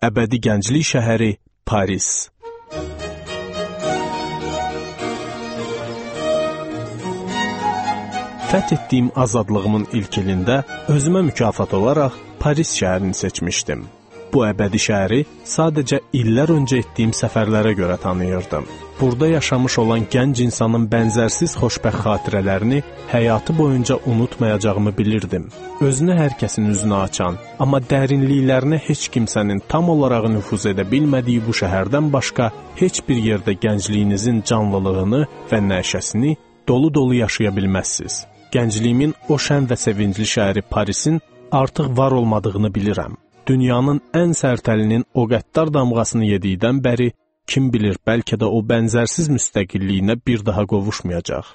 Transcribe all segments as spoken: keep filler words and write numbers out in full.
Əbədi gənclik şəhəri Paris. Fəth etdiyim azadlığımın ilk ilində özümə mükafat olaraq Paris şəhərini seçmişdim. Bu əbədi şəhəri sadəcə illər öncə etdiyim səfərlərə görə tanıyırdım. Burada yaşamış olan gənc insanın bənzərsiz xoşbəxt xatirələrini həyatı boyunca unutmayacağımı bilirdim. Özünü hər kəsin üzünə açan, amma dərinliklərinə heç kimsənin tam olaraq nüfuz edə bilmədiyi bu şəhərdən başqa heç bir yerdə gəncliyinizin canlılığını və nəşəsini dolu-dolu yaşaya bilməzsiniz. Gəncliyimin o şən və sevincli şəhəri Parisin artıq var olmadığını bilirəm. Dünyanın ən sərtəlinin o qəddar damğasını yedikdən bəri, kim bilir, bəlkə də o bənzərsiz müstəqilliyinə bir daha qovuşmayacaq.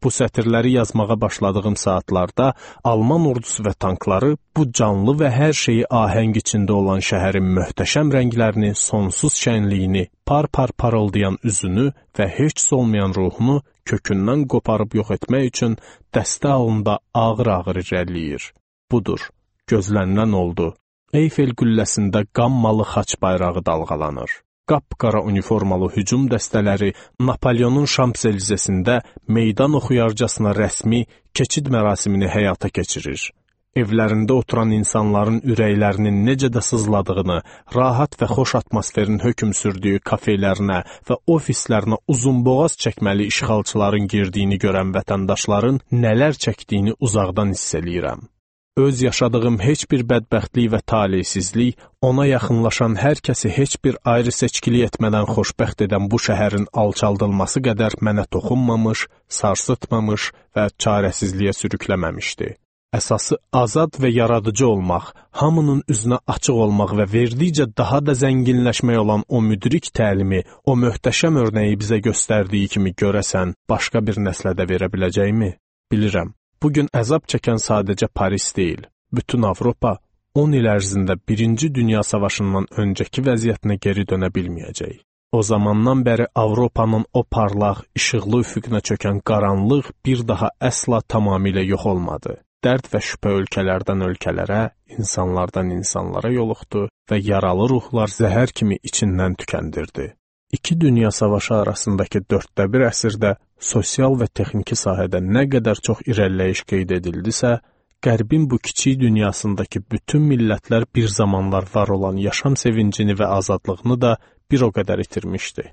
Bu sətirləri yazmağa başladığım saatlarda Alman ordusu və tankları bu canlı və hər şeyi ahəng içində olan şəhərin möhtəşəm rənglərini, sonsuz şənliyini, par-par parıldayan üzünü və heç olmayan ruhunu kökündən qoparıb yox etmək üçün dəstə halında ağır-ağır irəliləyir. Budur, gözlənilən oldu. Eyfel qülləsində qammalı xaç bayrağı dalğalanır. Qapqara uniformalı hücum dəstələri Napoleonun Şamps-Elizesində meydan oxuyarcasına rəsmi keçid mərasimini həyata keçirir. Evlərində oturan insanların ürəklərinin necə də sızladığını, rahat və xoş atmosferin hökm sürdüyü kafelerinə və ofislərinə uzunboğaz çəkməli işğalçıların girdiyini görən vətəndaşların nələr çəkdiyini uzaqdan hiss eləyirəm. Öz yaşadığım heç bir bədbəxtlik və talihsizlik ona yaxınlaşan hər kəsi heç bir ayrı seçkili etmədən xoşbəxt edən bu şəhərin alçaldılması qədər mənə toxunmamış, sarsıtmamış və çarəsizliyə sürükləməmişdi. Əsası azad və yaradıcı olmaq, hamının üzünə açıq olmaq və verdikcə daha da zənginləşmək olan o müdrik təlimi, o möhtəşəm örnəyi bizə göstərdiyi kimi görəsən, başqa bir nəslə də verə biləcəkmi? Bilirəm. Bugün əzab çəkən sadəcə Paris deyil, bütün Avropa on il ərzində Birinci Dünya Savaşından öncəki vəziyyətinə geri dönə bilməyəcək. O zamandan bəri Avropanın o parlaq, işıqlı üfüqünə çökən qaranlıq bir daha əsla tamamilə yox olmadı. Dərd və şübhə ölkələrdən ölkələrə, insanlardan insanlara yoluxdu və yaralı ruhlar zəhər kimi içindən tükəndirdi. İki dünya savaşı arasındakı dörddə bir əsrdə sosial və texniki sahədə nə qədər çox irəliləyiş qeyd edildisə, Qərbin bu kiçik dünyasındakı bütün millətlər bir zamanlar var olan yaşam sevincini və azadlığını da bir o qədər itirmişdi.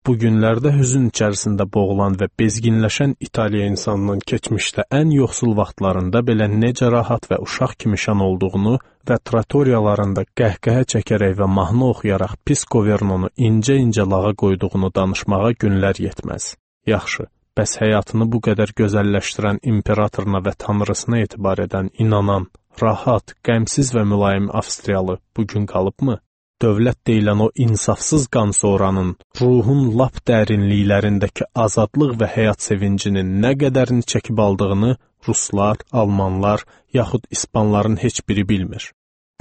Bu günlərdə hüzün içərisində boğulan və bezginləşən İtaliya insanının keçmişdə ən yoxsul vaxtlarında belə necə rahat və uşaq kimi şən olduğunu və tratoriyalarında qəhqəhə çəkərək və mahnı oxuyaraq pis Governonu incə-incə lağa qoyduğunu danışmağa günlər yetməz. Yaxşı, bəs həyatını bu qədər gözəlləşdirən imperatoruna və tanrısına etibar edən, inanan, rahat, qəmsiz və mülayim Avstriyalı bugün qalıbmı? Dövlət deyilən o insafsız qansoranın, ruhun lap dərinliklərindəki azadlıq və həyat sevincinin nə qədərini çəkib aldığını ruslar, almanlar, yaxud ispanların heç biri bilmir.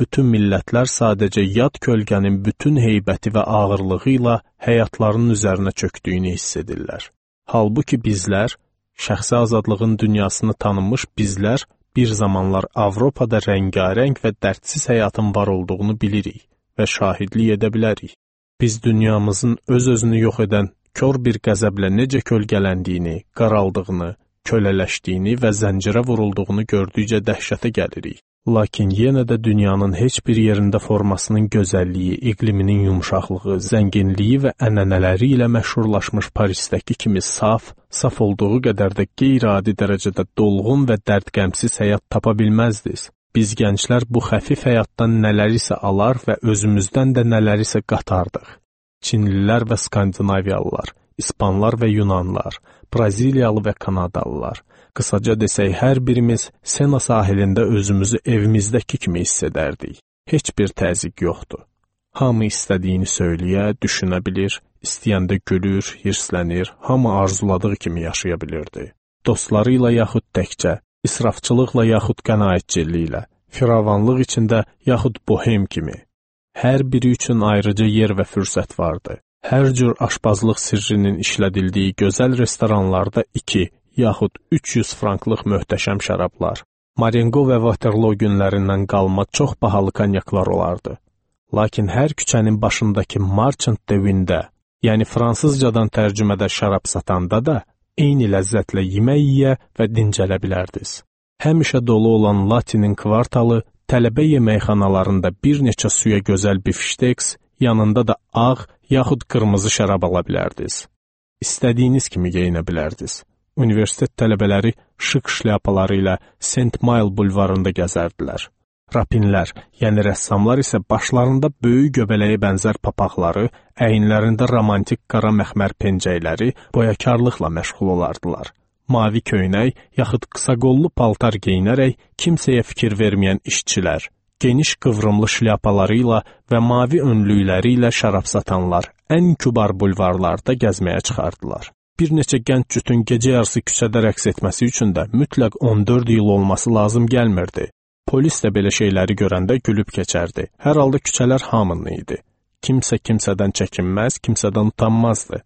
Bütün millətlər sadəcə yad kölgənin bütün heybəti və ağırlığı ilə həyatlarının üzərinə çöktüyünü hiss edirlər. Halbuki bizlər, şəxsi azadlığın dünyasını tanımış bizlər, bir zamanlar Avropada rəngarəng və dərdsiz həyatın var olduğunu bilirik və şahidlik edə bilərik. Biz dünyamızın öz-özünü yox edən kör bir qəzəblə necə kölgələndiyini, qaraldığını, kölələşdiyini və zəncirə vurulduğunu gördükcə dəhşətə gəlirik. Lakin yenə də dünyanın heç bir yerində formasının gözəlliyi, iqliminin yumşaqlığı, zənginliyi və ənənələri ilə məşhurlaşmış Parisdəki kimi saf, saf olduğu qədər də qeyri-adi dərəcədə dolğun və dərdqəmsiz həyat tapa bilməzdiniz. Biz gənclər bu xəfif həyatdan nələrisə alar və özümüzdən də nələrisə qatardıq. Çinlilər və Skandinaviyalılar, İspanlar və Yunanlar, Braziliyalı və Kanadalılar. Qısaca desək, hər birimiz Sena sahilində özümüzü evimizdəki kimi hiss edərdik. Heç bir təzyiq yoxdur. Hamı istədiyini söyləyə, düşünə bilir, istəyəndə gülür, hirslənir, hamı arzuladığı kimi yaşaya bilirdi. Dostları ilə yaxud təkcə, israfçılıqla yaxud qənaətçiliklə, firavanlıq içində yaxud bohem kimi. Hər biri üçün ayrıca yer və fürsət vardı. Hər cür aşpazlıq sirrinin işlədildiyi gözəl restoranlarda iki, yaxud üç yüz franklıq möhtəşəm şərablar, Marengo və Waterloo günlərindən qalma çox bahalı konyaklar olardı. Lakin hər küçənin başındakı Marchand de Vinde, yəni fransızcadan tərcümədə şərab satanda da eyni ləzzətlə yemək yeyə və dincələ bilərdiniz. Həmişə dolu olan Latinin kvartalı, tələbə yeməkxanalarında bir neçə suya gözəl bifşteks, yanında da ağ yaxud qırmızı şərab ala bilərdiniz. İstədiyiniz kimi geyinə bilərdiniz. Universitet tələbələri şık şlyapaları ilə Saint Mile bulvarında gəzərdilər. Rapinlər, yəni rəssamlar isə başlarında böyük göbələyə bənzər papaqları, əyinlərində romantik qara məxmər pencəkləri, boyakarlıqla məşğul olardılar. Mavi köynək, yaxud qısa qollu paltar geyinərək kimsəyə fikir verməyən işçilər, geniş qıvrımlı şlyapaları ilə və mavi önlükləri ilə şərab satanlar ən kübar bulvarlarda gəzməyə çıxardılar. Bir neçə gənc cütün gecə yarısı küçədə rəqs etməsi üçün də mütləq on dörd il olması lazım gəlmirdi. Polis də belə şeyləri görəndə gülüb keçərdi. Hər halda küçələr hamının idi. Kimsə kimsədən çəkinməz, kimsədən utanmazdı.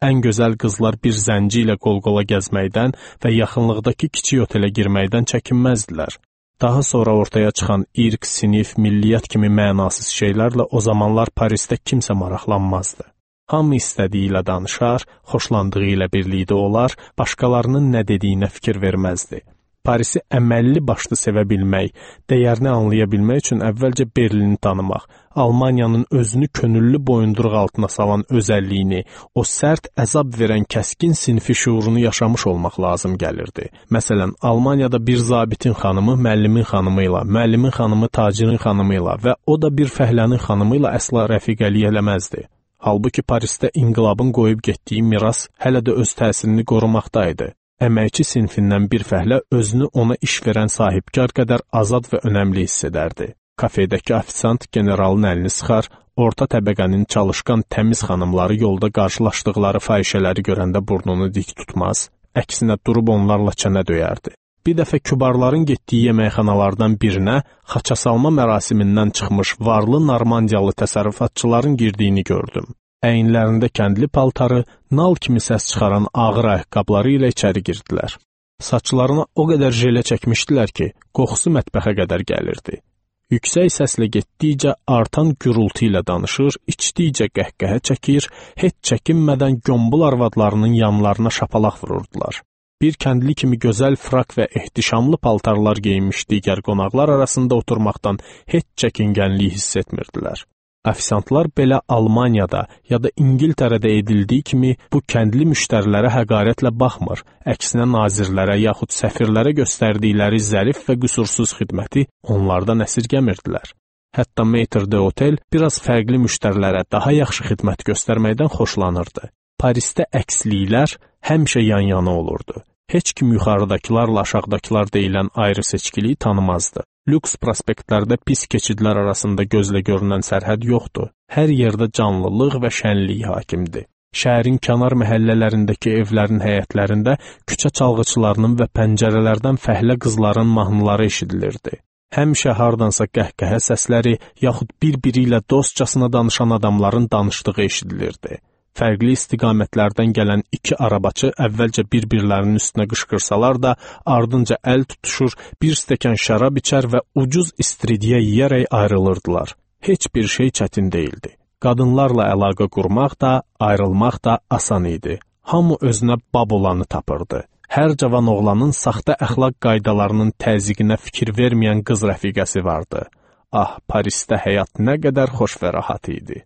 Ən gözəl qızlar bir zənci ilə qol-qola gəzməkdən və yaxınlıqdakı kiçik otelə girməkdən çəkinməzdilər. Daha sonra ortaya çıxan irq, sinif, milliyyət kimi mənasız şeylərlə o zamanlar Parisdə kimsə maraqlanmazdı. Hamı istədiyi ilə danışar, xoşlandığı ilə birlikdə olar, başqalarının nə dediyinə fikir verməzdi. Parisi əməlli başlı sevə bilmək, dəyərini anlaya bilmək üçün əvvəlcə Berlini tanımaq, Almaniyanın özünü könüllü boyunduruq altına salan özəlliyini, o sərt əzab verən kəskin sinfi şuurunu yaşamış olmaq lazım gəlirdi. Məsələn, Almaniyada bir zabitin xanımı müəllimin xanımı ilə, müəllimin xanımı tacirin xanımı ilə və o da bir fəhlənin xanımı ilə əsla rəfiqəlik eləməzdi. Halbuki Parisdə inqilabın qoyub getdiyi miras hələ də öz təsirini qorumaqdaydı. Əməkçi sinfindən bir fəhlə özünü ona iş verən sahibkar qədər azad və önəmli hiss edərdi. Kafedəki ofisant generalın əlini sıxar, orta təbəqənin çalışqan təmiz xanımları yolda qarşılaşdıqları fahişələri görəndə burnunu dik tutmaz, əksinə durub onlarla çənə döyərdi. Bir dəfə kübarların getdiyi yeməkxanalardan birinə xaça salma mərasimindən çıxmış varlı Normandiyalı təsərrüfatçıların girdiyini gördüm. Əyinlərində kəndli paltarı, nal kimi səs çıxaran ağır ayaqqabıları ilə içəri girdilər. Saçlarına o qədər jelə çəkmişdilər ki, qoxusu mətbəxə qədər gəlirdi. Yüksək səslə getdikcə artan gürültü ilə danışır, içdikcə qəhqəhə çəkir, heç çəkinmədən gömbul arvadlarının yanlarına şapalaq vururdular. Bir kəndli kimi gözəl frak və ehtişamlı paltarlar geyinmiş digər qonaqlar arasında oturmaqdan heç çəkingənlik hiss etmirdilər. Ofisantlar belə Almaniyada ya da İngiltərədə edildiyi kimi bu kəndli müştərilərə həqarətlə baxmır, əksinə nazirlərə yaxud səfirlərə göstərdikləri zərif və qüsursuz xidməti onlardan əsirgəmirdilər. Hətta Maître d'Hôtel biraz fərqli müştərilərə daha yaxşı xidmət göstərməkdən xoşlanırdı. Parisdə əksliklər həmişə yan-yana olurdu. Heç kim yuxarıdakılarla aşağıdakılar deyilən ayrı seçkiliyi tanımazdı. Lüks prospektlərdə pis keçidlər arasında gözlə görünən sərhəd yoxdur. Hər yerdə canlılıq və şənlik hakimdir. Şəhərin kənar məhəllələrindəki evlərin həyətlərində küçə çalğıçılarının və pəncərələrdən fəhlə qızların mahnıları eşidilirdi. Həmişə hardansa qəhqəhə səsləri, yaxud bir-biri ilə dostcasına danışan adamların danışdığı eşidilirdi. Fərqli istiqamətlərdən gələn iki arabaçı əvvəlcə bir-birlərinin üstünə qışqırsalar da, ardınca əl tutuşur, bir stəkan şərab içər və ucuz istiridye yeyərək ayrılırdılar. Heç bir şey çətin deyildi. Qadınlarla əlaqə qurmaq da, ayrılmaq da asan idi. Hamı özünə bab olanı tapırdı. Hər cavan oğlanın saxta əxlaq qaydalarının təzyiqinə fikir verməyən qız rəfiqəsi vardı. Ah, Parisdə həyat nə qədər xoş və rahat idi.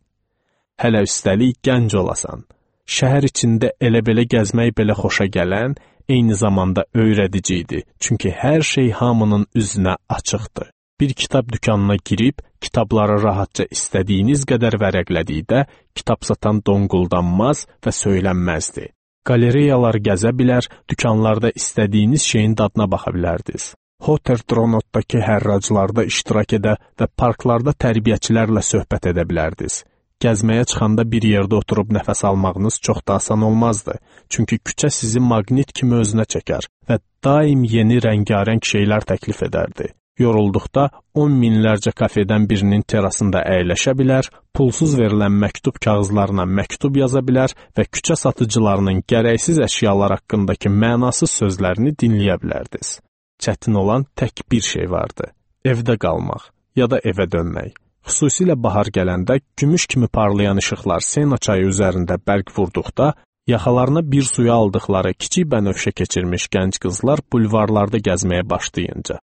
Hələ üstəlik gənc olasan. Şəhər içində elə-belə gəzmək belə xoşa gələn, eyni zamanda öyrədici idi. Çünki hər şey hamının üzünə açıqdı. Bir kitab dükanına girib, kitabları rahatca istədiyiniz qədər vərəqlədikdə, kitab satan donquldanmaz və söylənməzdi. Qalereyalar gəzə bilər, dükanlarda istədiyiniz şeyin dadına baxa bilərdiniz. Hoter-Tronotdakı hərraclarda iştirak edə və parklarda tərbiyəçilərlə söhbət edə bilərdiniz. Gəzməyə çıxanda bir yerdə oturub nəfəs almağınız çox da asan olmazdı. Çünki küçə sizi maqnit kimi özünə çəkər və daim yeni rəngarəng şeylər təklif edərdi. Yorulduqda on minlərcə kafedən birinin terasında əyləşə bilər, pulsuz verilən məktub kağızlarına məktub yaza bilər və küçə satıcılarının gərəksiz əşyalar haqqındakı mənasız sözlərini dinləyə bilərdiniz. Çətin olan tək bir şey vardı. Evdə qalmaq ya da evə dönmək. Xüsusilə bahar gələndə gümüş kimi parlayan işıqlar Sena çayı üzərində bərq vurduqda, yaxalarına bir suya aldıqları kiçik bənövşə keçirmiş gənc qızlar bulvarlarda gəzməyə başlayınca.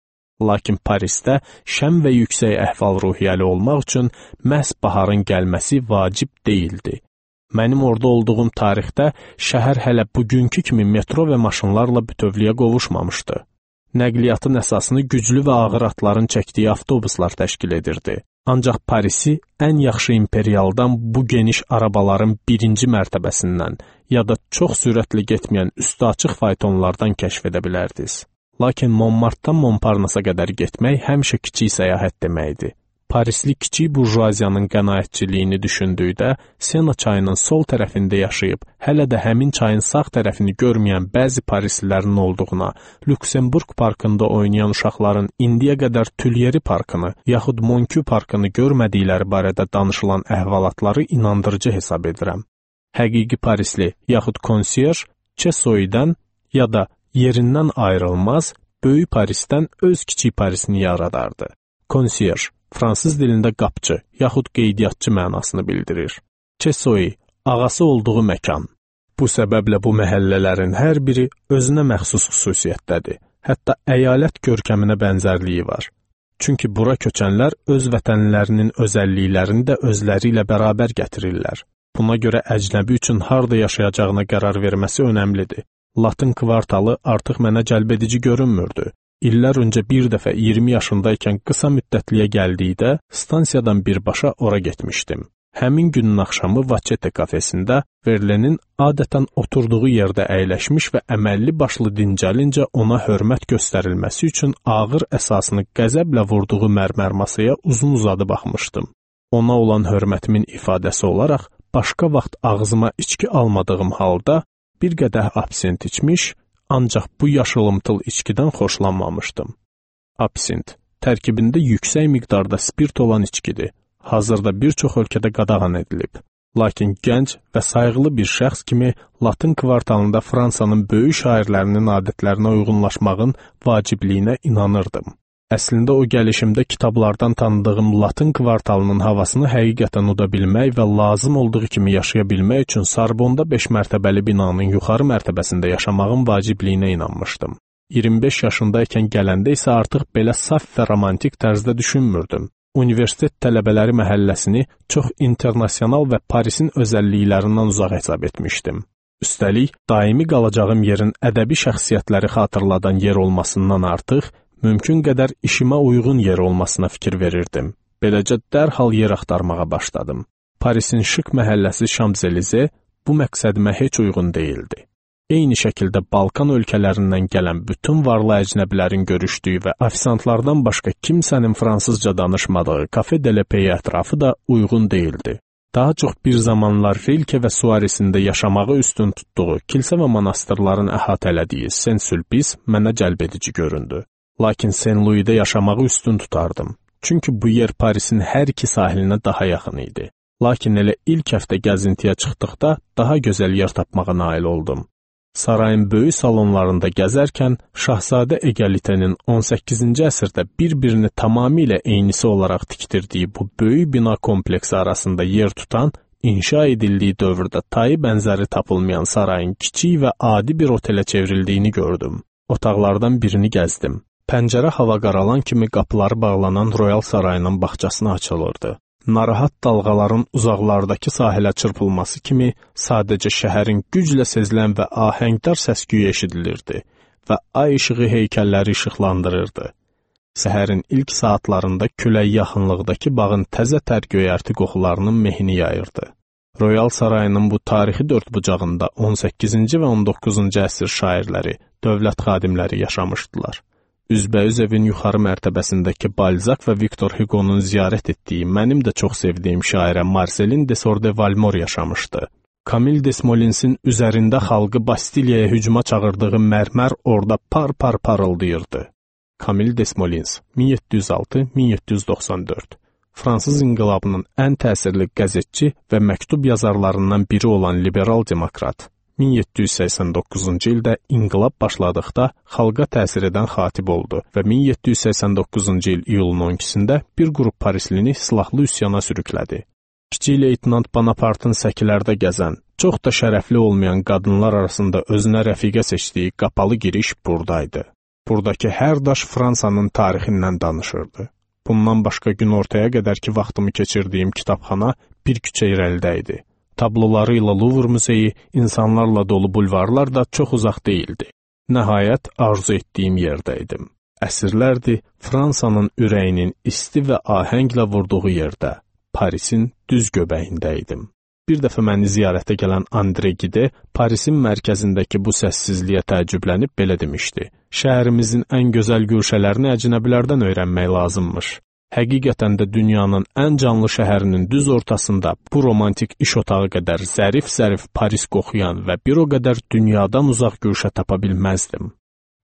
Lakin Parisdə şən və yüksək əhval-ruhiyyəli olmaq üçün məhz baharın gəlməsi vacib deyildi. Mənim orada olduğum tarixdə şəhər hələ bugünkü kimi metro və maşınlarla bütövlüyə qovuşmamışdı. Nəqliyyatın əsasını güclü və ağır atların çəkdiyi avtobuslar təşkil edirdi. Ancaq Parisi ən yaxşı imperialdan bu geniş arabaların birinci mərtəbəsindən ya da çox sürətli getməyən üstü açıq faytonlardan kəşf edə bilərdiniz. Lakin Montmartdan Montparnasse qədər getmək həmişə kiçik səyahət deməkdir. Parisli kiçik burjuaziyanın qənaətçiliyini düşündükdə, Sena çayının sol tərəfində yaşayıb, hələ də həmin çayın sağ tərəfini görməyən bəzi parislilərin olduğuna, Lüksemburg parkında oynayan uşaqların indiyə qədər Tülyeri parkını, yaxud Monkü parkını görmədikləri barədə danışılan əhvalatları inandırıcı hesab edirəm. Həqiqi parisli, yaxud konsyerj, Çesoidən ya da yerindən ayrılmaz, böyük Parisdən öz kiçik Parisini yaradardı. Konsyerj, fransız dilində qapçı, yaxud qeydiyyatçı mənasını bildirir. Çesoi, ağası olduğu məkan. Bu səbəblə bu məhəllələrin hər biri özünə məxsus xüsusiyyətdədir. Hətta əyalət görkəminə bənzərliyi var. Çünki bura köçənlər öz vətənlərinin özəlliklərini də özləri ilə bərabər gətirirlər. Buna görə əcnəbi üçün harda yaşayacağına qərar verməsi önəmlidir. Latın kvartalı artıq mənə cəlbedici görünmürdü. İllər öncə bir dəfə iyirmi yaşındaykən qısa müddətliyə gəldikdə stansiyadan birbaşa ora getmişdim. Həmin günün axşamı Vaçete kafesində Verlenin adətən oturduğu yerdə əyləşmiş və əməlli başlı dincəlincə ona hörmət göstərilməsi üçün ağır əsasını qəzəblə vurduğu mərmər masaya uzun-uzadı baxmışdım. Ona olan hörmətimin ifadəsi olaraq başqa vaxt ağzıma içki almadığım halda bir qədəh absint içmiş, ancaq bu yaşılımtıl içkidən xoşlanmamışdım. Absint, tərkibində yüksək miqdarda spirt olan içkidir. Hazırda bir çox ölkədə qadağan edilib. Lakin gənc və sayğılı bir şəxs kimi Latın kvartalında Fransanın böyük şairlərinin adətlərinə uyğunlaşmağın vacibliyinə inanırdım. Əslində o gəlişimdə kitablardan tanıdığım Latın kvartalının havasını həqiqətən uda bilmək və lazım olduğu kimi yaşaya bilmək üçün Sarbonda beş mərtəbəli binanın yuxarı mərtəbəsində yaşamağın vacibliyinə inanmışdım. iyirmi beş yaşındaykən gələndə isə artıq belə saf və romantik tərzdə düşünmürdüm. Universitet tələbələri məhəlləsini çox internasional və Parisin özəlliklərindən uzaq hesab etmişdim. Üstəlik, daimi qalacağım yerin ədəbi şəxsiyyətləri xatırladan yer olmasından artıq, mümkün qədər işimə uyğun yer olmasına fikir verirdim. Beləcə dərhal yer axtarmağa başladım. Parisin şık məhəlləsi Şamzelize bu məqsədimə heç uyğun deyildi. Eyni şəkildə Balkan ölkələrindən gələn bütün varlı əcnəbilərin görüşdüyü və ofisantlardan başqa kimsənin fransızca danışmadığı Cafe de la Paix ətrafı da uyğun deyildi. Daha çox bir zamanlar Rilke və Suaresində yaşamağı üstün tutduğu kilsə və monastırların əhatələdiyi Saint-Sulpice mənə cəlbedici göründü. Lakin Saint-Louis'də yaşamağı üstün tutardım. Çünki bu yer Parisin hər iki sahilinə daha yaxın idi. Lakin elə ilk həftə gəzintiyə çıxdıqda daha gözəl yer tapmağa nail oldum. Sarayın böyük salonlarında gəzərkən Şahzadə Egalitenin on səkkizinci əsrdə bir-birini tamamilə eynisi olaraq tikdirdiyi bu böyük bina kompleksi arasında yer tutan, inşa edildiyi dövrdə tayı bənzəri tapılmayan sarayın kiçik və adi bir otelə çevrildiyini gördüm. Otaqlardan birini gəzdim. Pəncərə hava qaralan kimi qapıları bağlanan Royal Sarayının bağçasına açılırdı. Narahat dalğaların uzaqlardakı sahilə çırpılması kimi sadəcə şəhərin güclə sezilən və ahəngdar səs-küyü eşidilirdi və ay işığı heykəlləri işıqlandırırdı. Səhərin ilk saatlarında külək yaxınlıqdakı bağın təzə tər göyərti qoxularının mehini yayırdı. Royal Sarayının bu tarixi dördbucağında on səkkizinci və on doqquzuncu əsr şairləri, dövlət xadimləri yaşamışdılar. Üzbəüz evin yuxarı mərtəbəsindəki Balzac və Victor Hugo'nun ziyarət etdiyi, mənim də çox sevdiyim şairə Marcelin Desor de Valmor yaşamışdı. Camille Desmolinsin üzərində xalqı Bastiliyaya hücuma çağırdığı mərmər orada par-par parıldayırdı. Camille Desmolins, min yeddi yüz altı - min yeddi yüz doxsan dörd. Fransız inqilabının ən təsirli qəzetçi və məktub yazarlarından biri olan liberal demokrat. min yeddi yüz səksən doqquzuncu ildə inqilab başladıqda xalqa təsir edən xatib oldu və min yeddi yüz səksən doqquzuncu il iyulun on ikisində bir qrup parislini silahlı üsyana sürüklədi. Kiçik leytenant Bonapartın səkilərdə gəzən, çox da şərəfli olmayan qadınlar arasında özünə rəfiqə seçdiyi qapalı giriş buradaydı. Buradakı hər daş Fransanın tarixindən danışırdı. Bundan başqa gün ortaya qədər ki vaxtımı keçirdiyim kitabxana bir küçə irəlidə idi. Tabloları ilə Louvre muzeyi, insanlarla dolu bulvarlar da çox uzaq değildi. Nəhayət arzu etdiyim yerdə idim. Əsrlərdir Fransanın ürəyinin isti və ahənglə vurduğu yerdə, Parisin düz göbəyində idim. Bir dəfə məni ziyarətə gələn Andre Gide Parisin mərkəzindəki bu səssizliyə təəccüblənib belə demişdi: "Şəhərimizin ən gözəl güşələrini əcnəbilərdən öyrənmək lazımmış. Həqiqətən də dünyanın ən canlı şəhərinin düz ortasında bu romantik iş otağı qədər zərif-zərif Paris qoxuyan və bir o qədər dünyadan uzaq güşə tapa bilməzdim."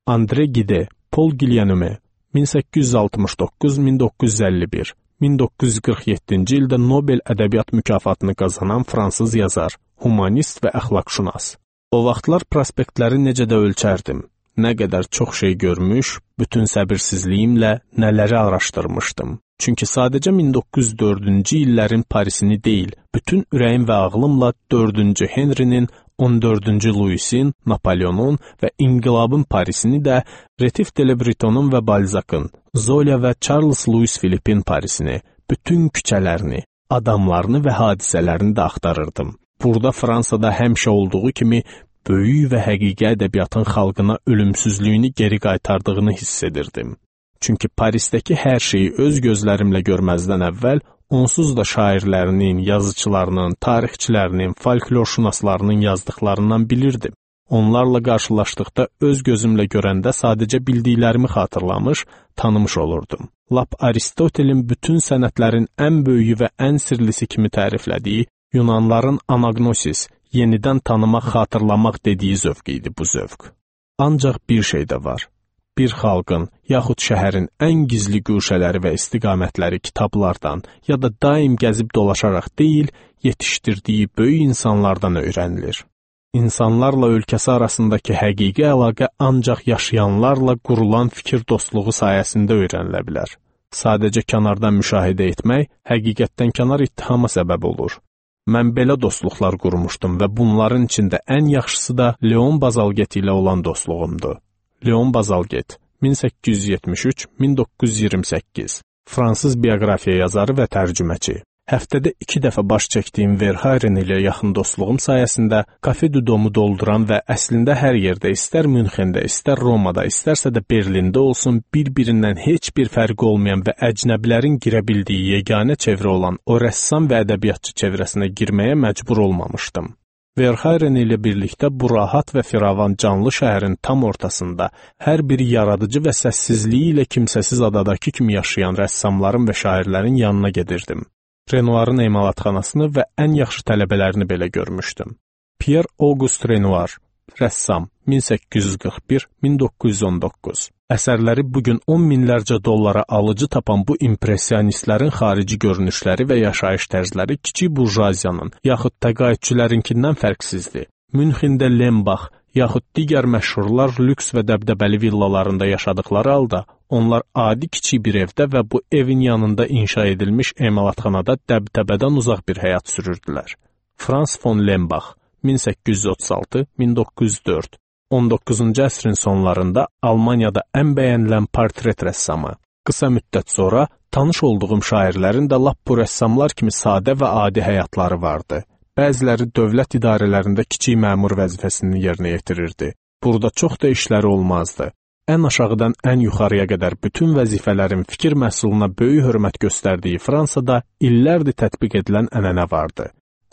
Andre Gide, Paul Guilleneume, min səkkiz yüz altmış doqquz - min doqquz yüz əlli bir, min doqquz yüz qırx yeddinci ildə Nobel ədəbiyyat mükafatını qazanan fransız yazar, humanist və əxlaqşünas. O vaxtlar prospektləri necə də ölçərdim. Nə qədər çox şey görmüş, bütün səbirsizliyimlə nələri araşdırmışdım. Çünki sadəcə min doqquz yüz dördüncü illərin Parisini deyil, bütün ürəyim və ağlımla dördüncü Henrinin, on dördüncü Louisin, Napoleonun və İnqilabın Parisini də, Retif de Le Bretonun və Balzac'ın, Zola və Charles Louis Philippin Parisini, bütün küçələrini, adamlarını və hadisələrini də axtarırdım. Burada Fransada həmişə olduğu kimi böyük və həqiqi ədəbiyyatın xalqına ölümsüzlüyünü geri qaytardığını hiss edirdim. Çünki Parisdəki hər şeyi öz gözlərimlə görməzdən əvvəl onsuz da şairlərinin, yazıçılarının, tarixçilərinin, folklorşünaslarının yazdıqlarından bilirdim. Onlarla qarşılaşdıqda öz gözümlə görəndə sadəcə bildiklərimi xatırlamış, tanımış olurdum. Lap Aristotelin bütün sənətlərin ən böyüyü və ən sirlisi kimi təriflədiyi Yunanların anagnosis, yenidən tanımaq, xatırlamaq dediyi zövq idi bu zövq. Ancaq bir şey də var. Bir xalqın, yaxud şəhərin ən gizli güşələri və istiqamətləri kitablardan ya da daim gəzib dolaşaraq deyil, yetişdirdiyi böyük insanlardan öyrənilir. İnsanlarla ölkəsi arasındakı həqiqi əlaqə ancaq yaşayanlarla qurulan fikir dostluğu sayəsində öyrənilə bilər. Sadəcə kənardan müşahidə etmək həqiqətdən kənar ittihama səbəb olur. Mən belə dostluqlar qurmuşdum və bunların içində ən yaxşısı da Leon Bazalget ilə olan dostluğumdur. Leon Bazalget, min səkkiz yüz yetmiş üç - min doqquz yüz iyirmi səkkiz, fransız bioqrafiya yazarı və tərcüməçi. Həftədə iki dəfə baş çəkdiyim Verhaeren ilə yaxın dostluğum sayəsində Café du Domu dolduran və əslində hər yerdə, istər Münxendə, istər Romada, istərsə də Berlində olsun, bir-birindən heç bir fərqi olmayan və əcnəbilərin girə bildiyi yeganə çevrə olan o rəssam və ədəbiyyatçı çevrəsinə girməyə məcbur olmamışdım. Verhaeren ilə birlikdə bu rahat və firavan canlı şəhərin tam ortasında, hər biri yaradıcı və səssizliyi ilə kimsəsiz adadakı kimi yaşayan rəssamların və şairlərin yanına gedirdim. Renoir'ın emalatxanasını və ən yaxşı tələbələrini belə görmüşdüm. Pierre Auguste Renoir, rəssam, min səkkiz yüz qırx bir - min doqquz yüz on doqquz. Əsərləri bugün on minlərcə dollara alıcı tapan bu impressionistlərin xarici görünüşləri və yaşayış tərzləri kiçik burjuaziyanın, yaxud təqaüdçülərinkindən fərqsizdir. Münxendə Lembach, yaxud digər məşhurlar lüks və dəbdəbəli villalarında yaşadıkları halda, onlar adi kiçik bir evdə və bu evin yanında inşa edilmiş emalatxanada dəbdəbədən uzaq bir həyat sürürdülər. Frans von Lembach, min səkkiz yüz otuz altı - min doqquz yüz dörd, on doqquzuncu əsrin sonlarında Almaniyada ən bəyənilən portret rəssamı. Qısa müddət sonra tanış olduğum şairlərin də lap bu rəssamlar kimi sadə və adi həyatları vardı. Bəziləri dövlət idarələrində kiçik məmur vəzifəsini yerinə yetirirdi. Burada çox da işləri olmazdı. Ən aşağıdan ən yuxarıya qədər bütün vəzifələrin fikir məhsuluna böyük hörmət göstərdiyi Fransada illərdir tətbiq edilən ənənə vardı.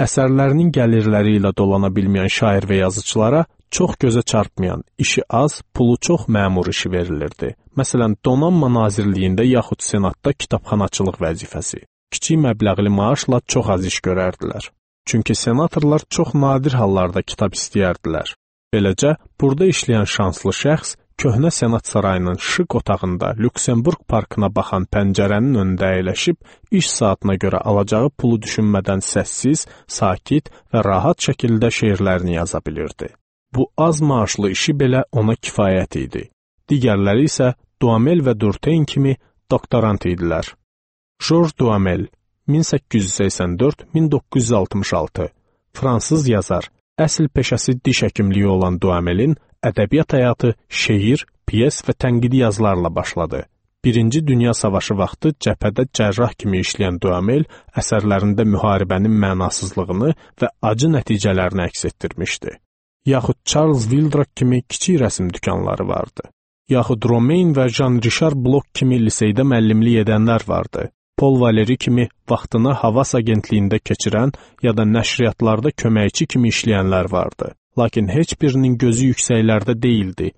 Əsərlərinin gəlirləri ilə dolana bilməyən şair və yazıçılara çox gözə çarpmayan, işi az, pulu çox məmur işi verilirdi. Məsələn, Donanma Nazirliyində yaxud Senatda kitabxanaçılıq vəzifəsi. Kiçik məbləğli maaşla çox az iş görərdilər. Çünki senatorlar çox nadir hallarda kitab istəyərdilər. Beləcə, burada işləyən şanslı şəxs köhnə Senat sarayının şıq otağında Lüksemburq parkına baxan pəncərənin önündə əyləşib, iş saatına görə alacağı pulu düşünmədən səssiz, sakit və rahat şəkildə şeirlərini yaza bilirdi. Bu az maaşlı işi belə ona kifayət idi. Digərləri isə Duhamel və Durtein kimi doktorant idilər. Georges Duhamel, min səkkiz yüz səksən dörd - min doqquz yüz altmış altı, fransız yazar. Əsl peşəsi diş həkimliyi olan Duhamelin ədəbiyyat həyatı şeir, piyes və tənqidi yazılarla başladı. Birinci Dünya Savaşı vaxtı cəbhədə cərrah kimi işləyən Duhamel əsərlərində müharibənin mənasızlığını və acı nəticələrini əks etdirmişdi. Yaxud Charles Wildrak kimi kiçik rəsm dükanları vardı. Yaxud Romain və Jean-Richard Bloch kimi liseydə müəllimlik edənlər vardı. Paul Valéry kimi vaxtını havas agentliyində keçirən ya da nəşriyyatlarda köməkçi kimi işləyənlər vardı. Lakin heç birinin gözü yüksəklərdə değildi.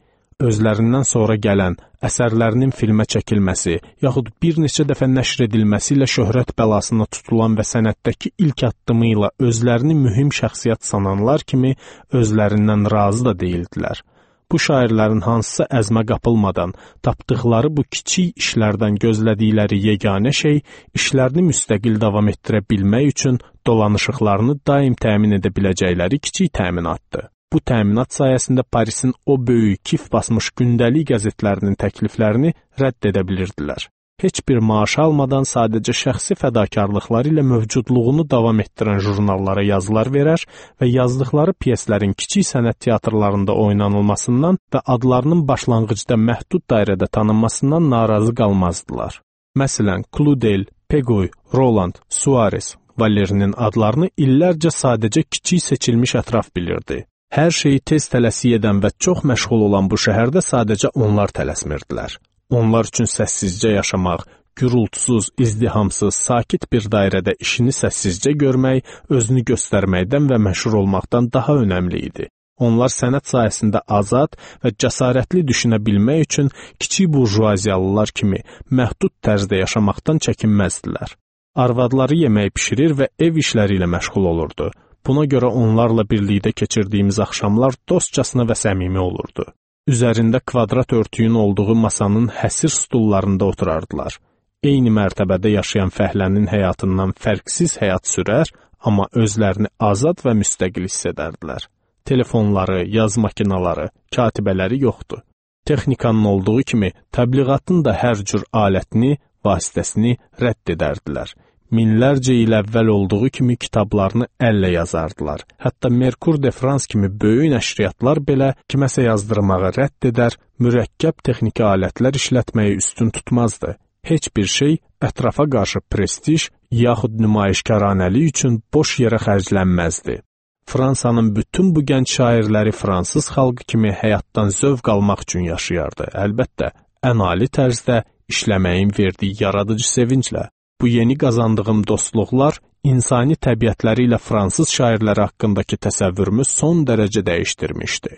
Özlərindən sonra gələn, əsərlərinin filmə çəkilməsi, yaxud bir neçə dəfə nəşr edilməsi ilə şöhrət bəlasına tutulan və sənətdəki ilk addımı ilə özlərini mühüm şəxsiyyət sananlar kimi özlərindən razı da deyildilər. Bu şairlərin hansısa əzmə qapılmadan tapdıqları bu kiçik işlərdən gözlədikləri yeganə şey işlərini müstəqil davam etdirə bilmək üçün dolanışıqlarını daim təmin edə biləcəkləri kiçik təminatdır. Bu təminat sayəsində Parisin o böyük kif basmış gündəlik qəzetlərinin təkliflərini rədd edə bilirdilər. Heç bir maaş almadan sadəcə şəxsi fədakarlıqları ilə mövcudluğunu davam etdirən jurnallara yazılar verər və yazdıqları pyeslərin kiçik sənət teatrlarında oynanılmasından və adlarının başlanğıcda məhdud dairədə tanınmasından narazı qalmazdılar. Məsələn, Claudel, Pegoy, Roland, Suarez, Valerinin adlarını illərcə sadəcə kiçik seçilmiş ətraf bilirdi. Hər şeyi tez tələsik edən və çox məşğul olan bu şəhərdə sadəcə onlar tələsmirdilər. Onlar üçün səssizcə yaşamaq, gürültüsüz, izdihamsız, sakit bir dairədə işini səssizcə görmək, özünü göstərməkdən və məşhur olmaqdan daha önəmli idi. Onlar sənət sayəsində azad və cəsarətli düşünə bilmək üçün kiçik burjuaziyalılar kimi məhdud tərzdə yaşamaqdan çəkinməzdilər. Arvadları yemək bişirir və ev işləri ilə məşğul olurdu. Buna görə onlarla birlikdə keçirdiyimiz axşamlar dostcasına və səmimi olurdu. Üzərində kvadrat örtüyün olduğu masanın həsir stullarında oturardılar. Eyni mərtəbədə yaşayan fəhlənin həyatından fərqsiz həyat sürər, amma özlərini azad və müstəqil hiss edərdilər. Telefonları, yaz makinaları, katibələri yoxdur. Texnikanın olduğu kimi təbliğatın da hər cür alətini, vasitəsini rədd edərdilər. Minlərcə il əvvəl olduğu kimi kitablarını əllə yazardılar. Hətta Merkur de France kimi böyük nəşriyyatlar belə kiməsə yazdırmağı rədd edər, mürəkkəb texniki alətlər işlətməyi üstün tutmazdı. Heç bir şey ətrafa qarşı prestij yaxud nümayişkaranəlik üçün boş yerə xərclənməzdi. Fransanın bütün bu gənc şairləri fransız xalqı kimi həyatdan zövq almaq üçün yaşayardı. Əlbəttə, ən ali tərzdə işləməyin verdiyi yaradıcı sevinclə. Bu yeni qazandığım dostluqlar insani təbiətləri ilə fransız şairləri haqqındakı təsəvvürümü son dərəcə dəyişdirmişdi.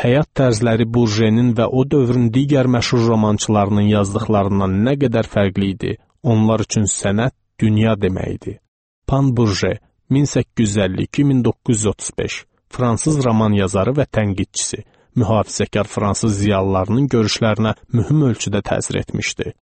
Həyat tərzləri Burjenin və o dövrün digər məşhur romançılarının yazdıqlarından nə qədər fərqli idi, onlar üçün sənət dünya deməkdir. Pan Burje, min səkkiz yüz əlli iki - min doqquz yüz otuz beş, fransız roman yazarı və tənqidçisi, mühafizəkar fransız ziyalılarının görüşlərinə mühüm ölçüdə təsir etmişdi.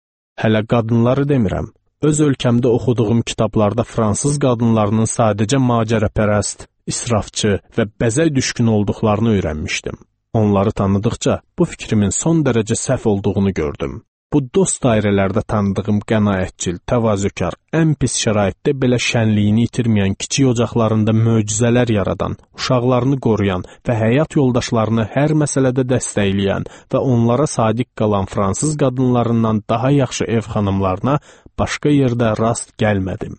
Hələ qadınları demirəm. Öz ölkəmdə oxuduğum kitablarda fransız qadınlarının sadəcə macərapərəst, israfçı və bəzək düşkün olduqlarını öyrənmişdim. Onları tanıdıqca bu fikrimin son dərəcə səhv olduğunu gördüm. Bu dost dairələrdə tanıdığım qənaətçil, təvazökar, ən pis şəraitdə belə şənliyini itirməyən kiçik ocaqlarında möcüzələr yaradan, uşaqlarını qoruyan və həyat yoldaşlarını hər məsələdə dəstəkləyən və onlara sadiq qalan fransız qadınlarından daha yaxşı ev xanımlarına başqa yerdə rast gəlmədim.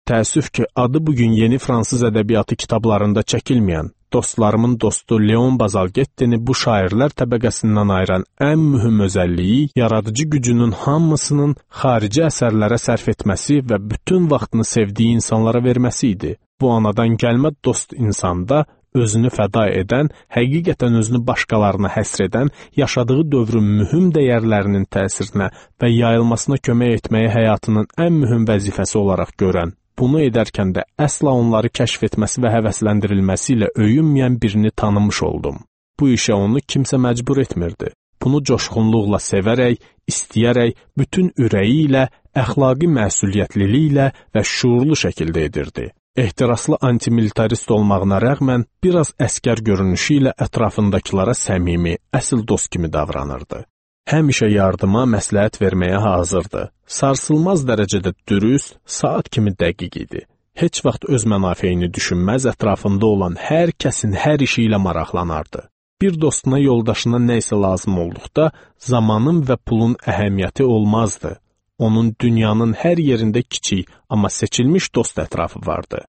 Təəssüf ki, adı bugün yeni fransız ədəbiyyatı kitablarında çəkilməyən, dostlarımın dostu Leon Bazalgettini bu şairlər təbəqəsindən ayıran ən mühüm özəlliyi yaradıcı gücünün hamısının xarici əsərlərə sərf etməsi və bütün vaxtını sevdiyi insanlara verməsi idi. Bu anadan gəlmə dost insanda özünü fəda edən, həqiqətən özünü başqalarına həsr edən, yaşadığı dövrün mühüm dəyərlərinin təsirinə və yayılmasına kömək etməyi həyatının ən mühüm vəzifəsi olaraq görən, bunu edərkən də əsla onları kəşf etməsi və həvəsləndirilməsi ilə öyünməyən birini tanımış oldum. Bu işə onu kimsə məcbur etmirdi. Bunu coşğunluqla sevərək, istəyərək, bütün ürəyi ilə, əxlaqi məsuliyyətliliklə və şuurlu şəkildə edirdi. Ehtiraslı antimilitarist olmağına rəğmən biraz əskər görünüşü ilə ətrafındakılara səmimi, əsl dost kimi davranırdı. Həmişə yardıma, məsləhət verməyə hazırdı. Sarsılmaz dərəcədə dürüst, saat kimi dəqiq idi. Heç vaxt öz mənafeyini düşünməz, ətrafında olan hər kəsin hər işi ilə maraqlanardı. Bir dostuna, yoldaşına nə isə lazım olduqda zamanın və pulun əhəmiyyəti olmazdı. Onun dünyanın hər yerində kiçik, amma seçilmiş dost ətrafı vardı.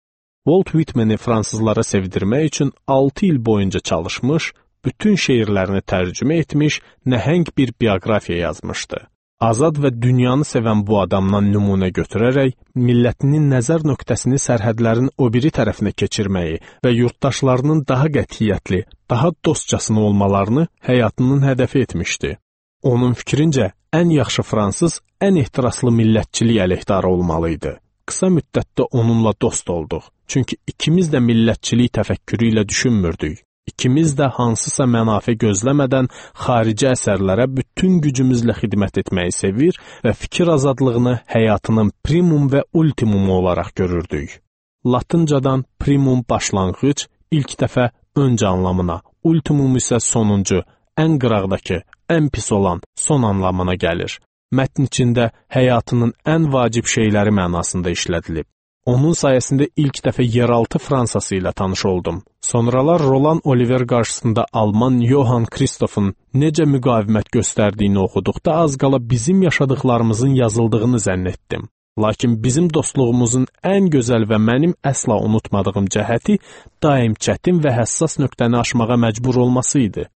Walt Whitman'i fransızlara sevdirmək üçün altı il boyunca çalışmış, bütün şeirlərini tərcümə etmiş, nəhəng bir bioqrafiya yazmışdı. Azad və dünyanı sevən bu adamdan nümunə götürərək, millətinin nəzər nöqtəsini sərhədlərin o biri tərəfinə keçirməyi və yurttaşlarının daha qətiyyətli, daha dostcasına olmalarını həyatının hədəfi etmişdi. Onun fikrincə, ən yaxşı fransız, ən ehtiraslı millətçilik əleyhdarı olmalıydı. Qısa müddətdə onunla dost olduq, çünki ikimiz də millətçilik təfəkkürü ilə düşünmürdük. İkimiz də hansısa mənafe gözləmədən xarici əsərlərə bütün gücümüzlə xidmət etməyi sevir və fikir azadlığını həyatının primum və ultimumu olaraq görürdük. Latıncadan primum başlanğıc, ilk dəfə öncə anlamına, ultimum isə sonuncu, ən qıraqdakı, ən pis olan son anlamına gəlir. Mətn içində həyatının ən vacib şeyləri mənasında işlədilib. Onun sayəsində ilk dəfə yeraltı Fransası ilə tanış oldum. Sonralar Roland Oliver qarşısında Alman Johann Christoph'un necə müqavimət göstərdiyini oxuduqda az qala bizim yaşadıqlarımızın yazıldığını zənn etdim. Lakin bizim dostluğumuzun ən gözəl və mənim əsla unutmadığım cəhəti daim çətin və həssas nöqtəni aşmağa məcbur olması idi.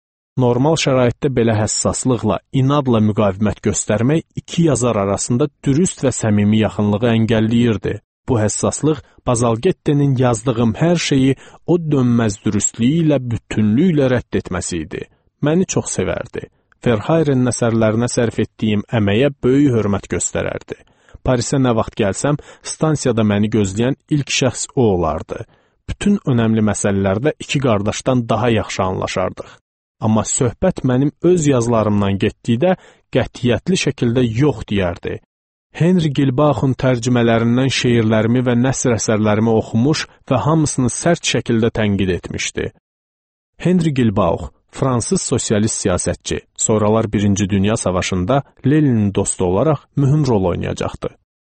Normal şəraitdə belə həssaslıqla, inadla müqavimət göstərmək iki yazar arasında dürüst və səmimi yaxınlığı əngəlləyirdi. Bu həssaslıq Bazalgette'nin yazdığım hər şeyi o dönməz dürüstlüyü ilə bütünlüklə rədd etməsi idi. Məni çox sevərdi. Verhayrenin əsərlərinə sərf etdiyim əməyə böyük hörmət göstərərdi. Parisə nə vaxt gəlsəm, stansiyada məni gözləyən ilk şəxs o olardı. Bütün önəmli məsələlərdə iki qardaşdan daha yaxşı anlaşardıq. Amma söhbət mənim öz yazılarımdan getdikdə qətiyyətli şəkildə yox deyərdi. Henry Gilbaux'un tərcümələrindən şeirlərimi və nəsr əsərlərimi oxumuş və hamısını sərt şəkildə tənqid etmişdi. Henry Gilbauch, fransız sosialist siyasətçi, sonralar Birinci Dünya Savaşında Leninin dostu olaraq mühüm rol oynayacaqdı.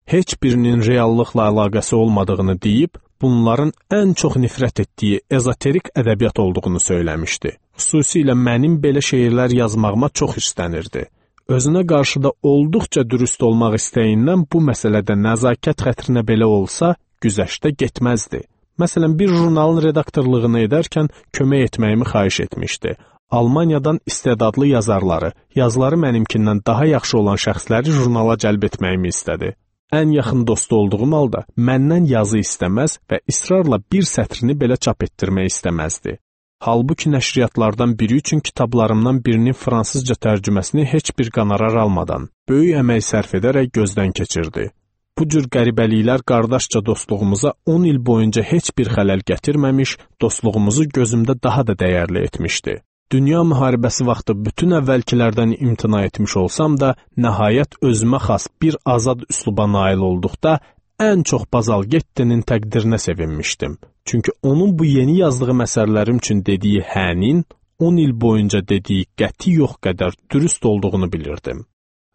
Heç birinin reallıqla əlaqəsi olmadığını deyib, bunların ən çox nifrət etdiyi ezoterik ədəbiyyat olduğunu söyləmişdi. Xüsusilə mənim belə şeirlər yazmağıma çox hirslənirdi. Özünə qarşı da olduqca dürüst olmaq istəyindən bu məsələdə nəzakət xətrinə belə olsa, güzəştə getməzdi. Məsələn, bir jurnalın redaktorluğunu edərkən kömək etməyimi xahiş etmişdi. Almaniyadan istedadlı yazarları, yazıları mənimkindən daha yaxşı olan şəxsləri jurnala cəlb etməyimi istədi. Ən yaxın dostu olduğum halda məndən yazı istəməz və israrla bir sətrini belə çap etdirmək istəməzdi. Halbuki nəşriyyatlardan biri üçün kitablarımdan birinin fransızca tərcüməsini heç bir qonorar almadan, böyük əmək sərf edərək gözdən keçirdi. Bu cür qəribəliklər qardaşca dostluğumuza on il boyunca heç bir xələl gətirməmiş, dostluğumuzu gözümdə daha da dəyərli etmişdi. Dünya müharibəsi vaxtı bütün əvvəlkilərdən imtina etmiş olsam da, nəhayət özümə xas bir azad üsluba nail olduqda, ən çox Bazalgette'nin təqdirinə sevinmişdim. Çünki onun bu yeni yazdığı məsələlərim üçün dediyi hənin, on il boyunca dediyi qəti yox qədər dürüst olduğunu bilirdim.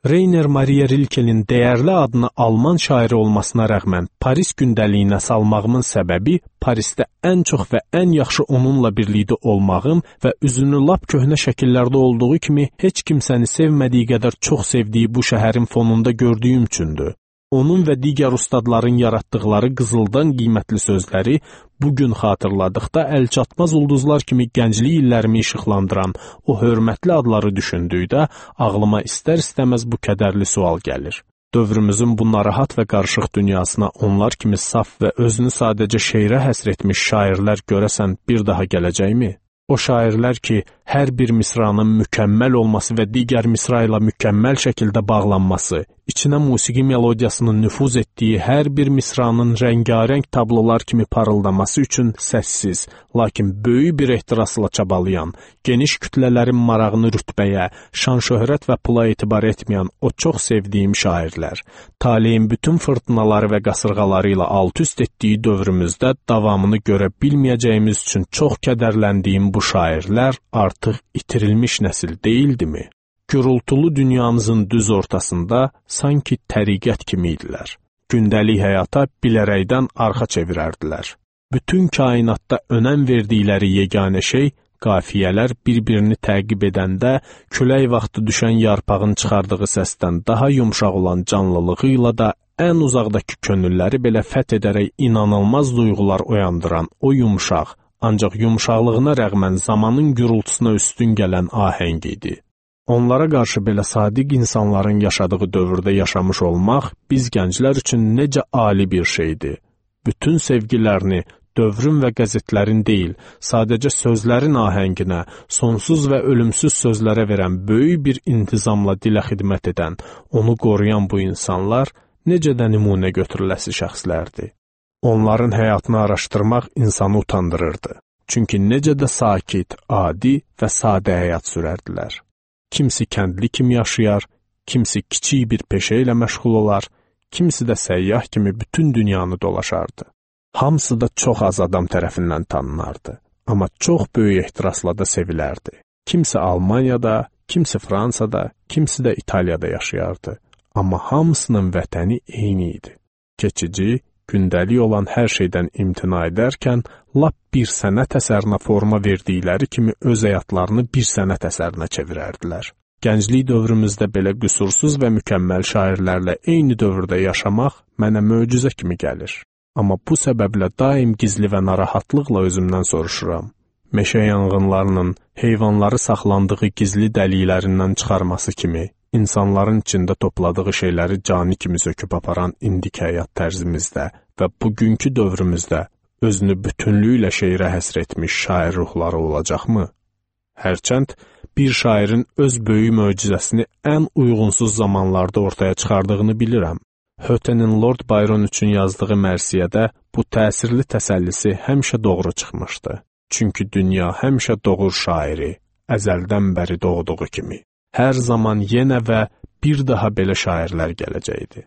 Rainer Maria Rilke'nin dəyərli adına Alman şairi olmasına rəğmən Paris gündəliyinə salmağımın səbəbi Parisdə ən çox və ən yaxşı onunla birlikdə olmağım və üzünü lap köhnə şəkillərdə olduğu kimi heç kimsəni sevmədiyi qədər çox sevdiyi bu şəhərin fonunda gördüyüm üçündür. Onun və digər ustadların yaratdıqları qızıldan qiymətli sözləri bugün xatırladıqda əlçatmaz ulduzlar kimi gənclik illərimi işıqlandıran o hörmətli adları düşündükdə ağlıma istər-istəməz bu kədərli sual gəlir. Dövrümüzün bu narahat və qarışıq dünyasına onlar kimi saf və özünü sadəcə şeirə həsr etmiş şairlər görəsən bir daha gələcəkmi? O şairlər ki, hər bir misranın mükəmməl olması və digər misra ilə mükəmməl şəkildə bağlanması, içinə musiqi melodiyasının nüfuz etdiyi hər bir misranın rəngarəng tablolar kimi parıldaması üçün səssiz, lakin böyük bir ehtirasla çabalayan, geniş kütlələrin marağını rütbəyə, şan-şöhrət və pula etibar etməyən o çox sevdiyim şairlər, taleyin bütün fırtınaları və qasırğaları ilə alt-üst etdiyi dövrümüzdə davamını görə bilməyəcəyimiz üçün çox kədərləndiyim bu şairlər artıq itirilmiş nəsil deyildimi? Gürültülü dünyamızın düz ortasında sanki təriqət kimi idilər. Gündəlik həyata bilərəkdən arxa çevirərdilər. Bütün kainatda önəm verdikləri yeganə şey qafiyələr bir-birini təqib edəndə külək vaxtı düşən yarpağın çıxardığı səsdən daha yumşaq olan canlılığı ilə da ən uzaqdakı könülləri belə fəth edərək inanılmaz duyğular oyandıran o yumşaq, ancaq yumşaqlığına rəğmən zamanın gürültüsünə üstün gələn ahəng idi. Onlara qarşı belə sadiq insanların yaşadığı dövrdə yaşamış olmaq biz gənclər üçün necə ali bir şeydir. Bütün sevgilərini dövrün və qəzetlərin deyil, sadəcə sözlərin ahənginə, sonsuz və ölümsüz sözlərə verən böyük bir intizamla dilə xidmət edən, onu qoruyan bu insanlar necə də nümunə götürüləsi şəxslərdir. Onların həyatını araşdırmaq insanı utandırırdı. Çünki necə də sakit, adi və sadə həyat sürərdilər. Kimisi kəndli kimi yaşayar, kimisi kiçik bir peşə ilə məşğul olar, kimisi də səyyah kimi bütün dünyanı dolaşardı. Hamısı da çox az adam tərəfindən tanınardı, amma çox böyük ehtirasla da sevilərdi. Kimisi Almaniyada, kimisi Fransada, kimisi də İtaliyada yaşayardı, amma hamısının vətəni eyni idi. Keçici, gündəlik olan hər şeydən imtina edərkən, lap bir sənət əsərinə forma verdikləri kimi öz həyatlarını bir sənət əsərinə çevirərdilər. Gənclik dövrümüzdə belə qüsursuz və mükəmməl şairlərlə eyni dövrdə yaşamaq mənə möcüzə kimi gəlir. Amma bu səbəblə daim gizli və narahatlıqla özümdən soruşuram. Meşə yanğınlarının heyvanları saxlandığı gizli dəliklərindən çıxarması kimi, İnsanların içində topladığı şeyləri cani kimi söküb aparan indik həyat tərzimizdə və bugünkü dövrümüzdə özünü bütünlüklə şeirə həsr etmiş şair ruhları olacaqmı? Hərçənd bir şairin öz böyük möcüzəsini ən uyğunsuz zamanlarda ortaya çıxardığını bilirəm. Hötenin Lord Byron üçün yazdığı mərsiyədə bu təsirli təsəllisi həmişə doğru çıxmışdı. Çünki dünya həmişə doğur şairi, əzəldən bəri doğduğu kimi. Hər zaman yenə və bir daha belə şairlər gələcəkdi.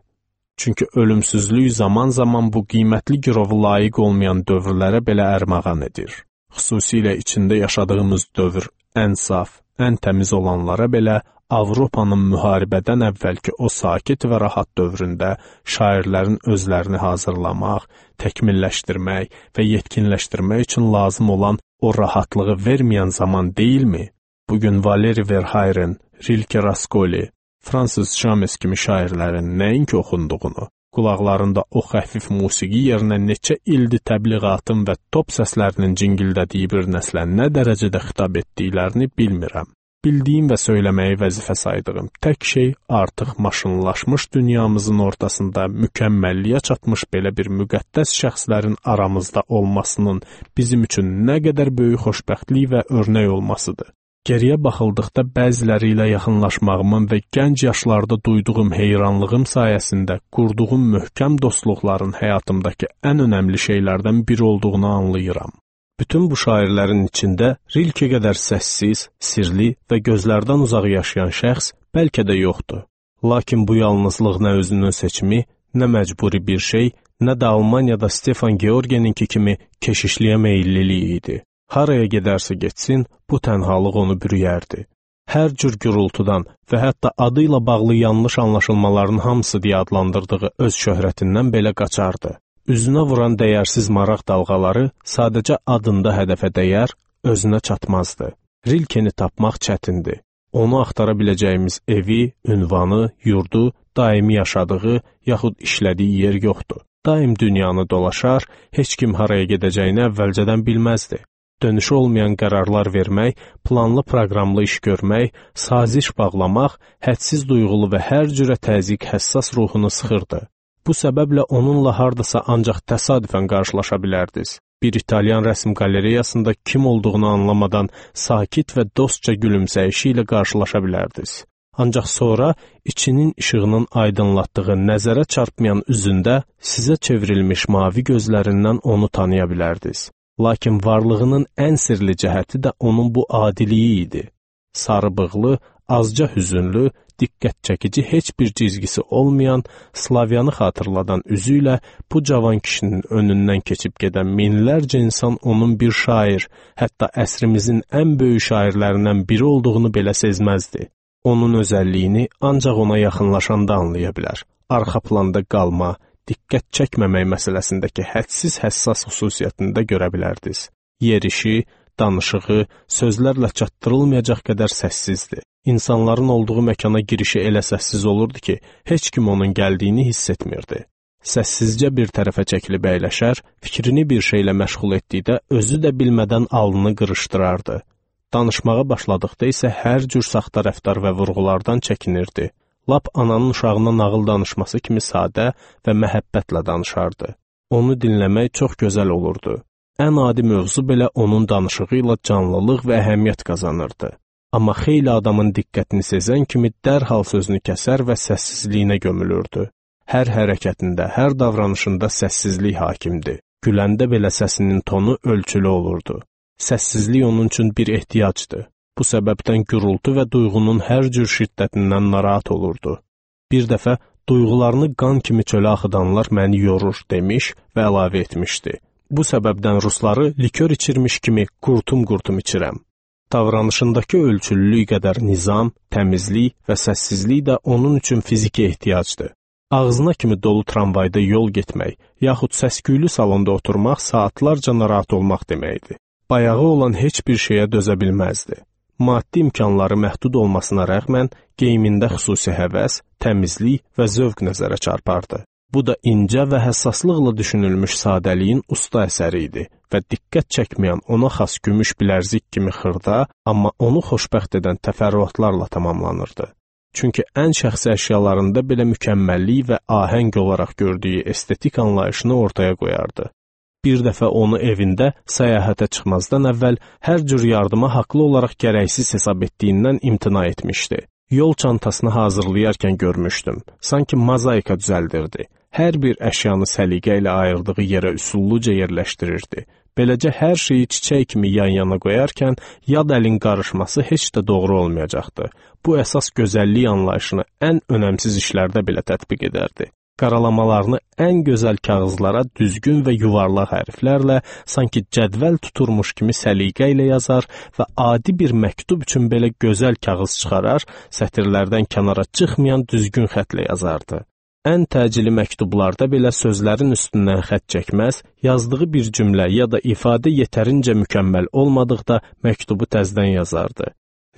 Çünki ölümsüzlük zaman-zaman bu qiymətli girovu layiq olmayan dövrlərə belə ərmağan edir. Xüsusilə içində yaşadığımız dövr ən saf, ən təmiz olanlara belə Avropanın müharibədən əvvəlki o sakit və rahat dövründə şairlərin özlərini hazırlamaq, təkmilləşdirmək və yetkinləşdirmək üçün lazım olan o rahatlığı verməyən zaman deyilmi? Bugün Valeri Verhaeren, Rilke Raskoli, Francis James kimi şairlərin nəinki oxunduğunu, qulaqlarında o xəfif musiqi yerinə neçə ildir təbliğatın və top səslərinin cingildədiyi bir nəslə nə dərəcədə xitab etdiklərini bilmirəm. Bildiyim və söyləməyi vəzifə saydığım tək şey artıq maşınlaşmış dünyamızın ortasında mükəmməlliyə çatmış belə bir müqəddəs şəxslərin aramızda olmasının bizim üçün nə qədər böyük xoşbəxtlik və örnək olmasıdır. Geriyə baxıldıqda bəziləri ilə yaxınlaşmağımın və gənc yaşlarda duyduğum heyranlığım sayəsində qurduğum möhkəm dostluqların həyatımdakı ən önəmli şeylərdən biri olduğunu anlayıram. Bütün bu şairlərin içində Rilke qədər səssiz, sirli və gözlərdən uzaq yaşayan şəxs bəlkə də yoxdur. Lakin bu yalnızlıq nə özünün seçimi, nə məcburi bir şey, nə də Almaniyada Stefan Georgeninki kimi keşişliyə meyilliliyi idi. Haraya gedərsə getsin, bu tənhalıq onu bürüyərdi. Hər cür gürültüdən və hətta adı ilə bağlı yanlış anlaşılmaların hamısı deyə adlandırdığı öz şöhrətindən belə qaçardı. Üzünə vuran dəyərsiz maraq dalğaları sadəcə adında hədəfə dəyər, özünə çatmazdı. Rilkeni tapmaq çətindir. Onu axtara biləcəyimiz evi, ünvanı, yurdu, daimi yaşadığı, yaxud işlədiyi yer yoxdur. Daim dünyanı dolaşar, heç kim haraya gedəcəyini əvvəlcədən bilməzdi. Dönüşü olmayan qərarlar vermək, planlı proqramlı iş görmək, saziş bağlamaq, hədsiz duyğulu və hər cürə təzyiq həssas ruhunu sıxırdı. Bu səbəblə onunla hardasa ancaq təsadüfən qarşılaşa bilərdiniz. Bir İtalyan rəsm qalereyasında kim olduğunu anlamadan sakit və dostca gülümsəyişi ilə qarşılaşa bilərdiniz. Ancaq sonra içinin işığının aydınlatdığı nəzərə çarpmayan üzündə sizə çevrilmiş mavi gözlərindən onu tanıya bilərdiniz. Lakin varlığının ən sirli cəhəti də onun bu adiliyi idi. Sarı bığlı, azca hüzünlü, diqqət çəkici heç bir cizgisi olmayan, Slavyanı xatırladan üzü ilə bu cavan kişinin önündən keçib gedən minlərcə insan onun bir şair, hətta əsrimizin ən böyük şairlərindən biri olduğunu belə sezməzdi. Onun özəlliyini ancaq ona yaxınlaşanda anlaya bilər. Arxa planda qalma, diqqət çəkməmək məsələsindəki hədsiz həssas xüsusiyyətində görə bilərdiniz. Yerişi, danışığı, sözlərlə çatdırılmayacaq qədər səssizdir. İnsanların olduğu məkana girişi elə səssiz olurdu ki, heç kim onun gəldiyini hiss etmirdi. Səssizcə bir tərəfə çəkilib əyləşər, fikrini bir şeylə məşğul etdikdə özü də bilmədən alnını qırışdırardı. Danışmağa başladıqda isə hər cür saxta rəftar və vurğulardan çəkinirdi. Lap ananın uşağına nağıl danışması kimi sadə və məhəbbətlə danışardı. Onu dinləmək çox gözəl olurdu. Ən adi mövzu belə onun danışığı ilə canlılıq və əhəmiyyət qazanırdı. Amma xeyli adamın diqqətini sezən kimi dərhal sözünü kəsər və səssizliyinə gömülürdü. Hər hərəkətində, hər davranışında səssizlik hakimdi. Güləndə belə səsinin tonu ölçülü olurdu. Səssizlik onun üçün bir ehtiyacdır. Bu səbəbdən gürültü və duyğunun hər cür şiddətindən narahat olurdu. Bir dəfə, duyğularını qan kimi çölə axıdanlar məni yorur demiş və əlavə etmişdi. Bu səbəbdən rusları likör içirmiş kimi qurtum-qurtum içirəm. Davranışındakı ölçülülük qədər nizam, təmizlik və səssizlik də onun üçün fiziki ehtiyacdır. Ağzına kimi dolu tramvayda yol getmək, yaxud səsküylü salonda oturmaq saatlarca narahat olmaq deməkdir. Bayağı olan heç bir şeyə dözə bilməzdi. Maddi imkanları məhdud olmasına rəğmən geyimində xüsusi həvəs, təmizlik və zövq nəzərə çarpardı. Bu da incə və həssaslıqla düşünülmüş sadəliyin usta əsəri idi və diqqət çəkməyən ona xas gümüş bilərzik kimi xırda, amma onu xoşbəxt edən təfərrüatlarla tamamlanırdı. Çünki ən şəxsi əşyalarında belə mükəmməllik və ahəng olaraq gördüyü estetik anlayışını ortaya qoyardı. Bir dəfə onu evində səyahətə çıxmazdan əvvəl hər cür yardıma haqlı olaraq gərəksiz hesab etdiyindən imtina etmişdi. Yol çantasını hazırlayarkən görmüşdüm. Sanki mozaika düzəldirdi. Hər bir əşyanı səliqə ilə ayırdığı yerə üsulluca yerləşdirirdi. Beləcə hər şeyi çiçək kimi yan-yana qoyarkən yad əlin qarışması heç də doğru olmayacaqdı. Bu əsas gözəllik anlayışını ən önəmsiz işlərdə belə tətbiq edərdi. Qaralamalarını ən gözəl kağızlara düzgün və yuvarlaq hərflərlə, sanki cədvəl tuturmuş kimi səliqə ilə yazar və adi bir məktub üçün belə gözəl kağız çıxarar, sətirlərdən kənara çıxmayan düzgün xətlə yazardı. Ən təcili məktublarda belə sözlərin üstündən xətt çəkməz, yazdığı bir cümlə ya da ifadə yetərincə mükəmməl olmadıqda məktubu təzdən yazardı.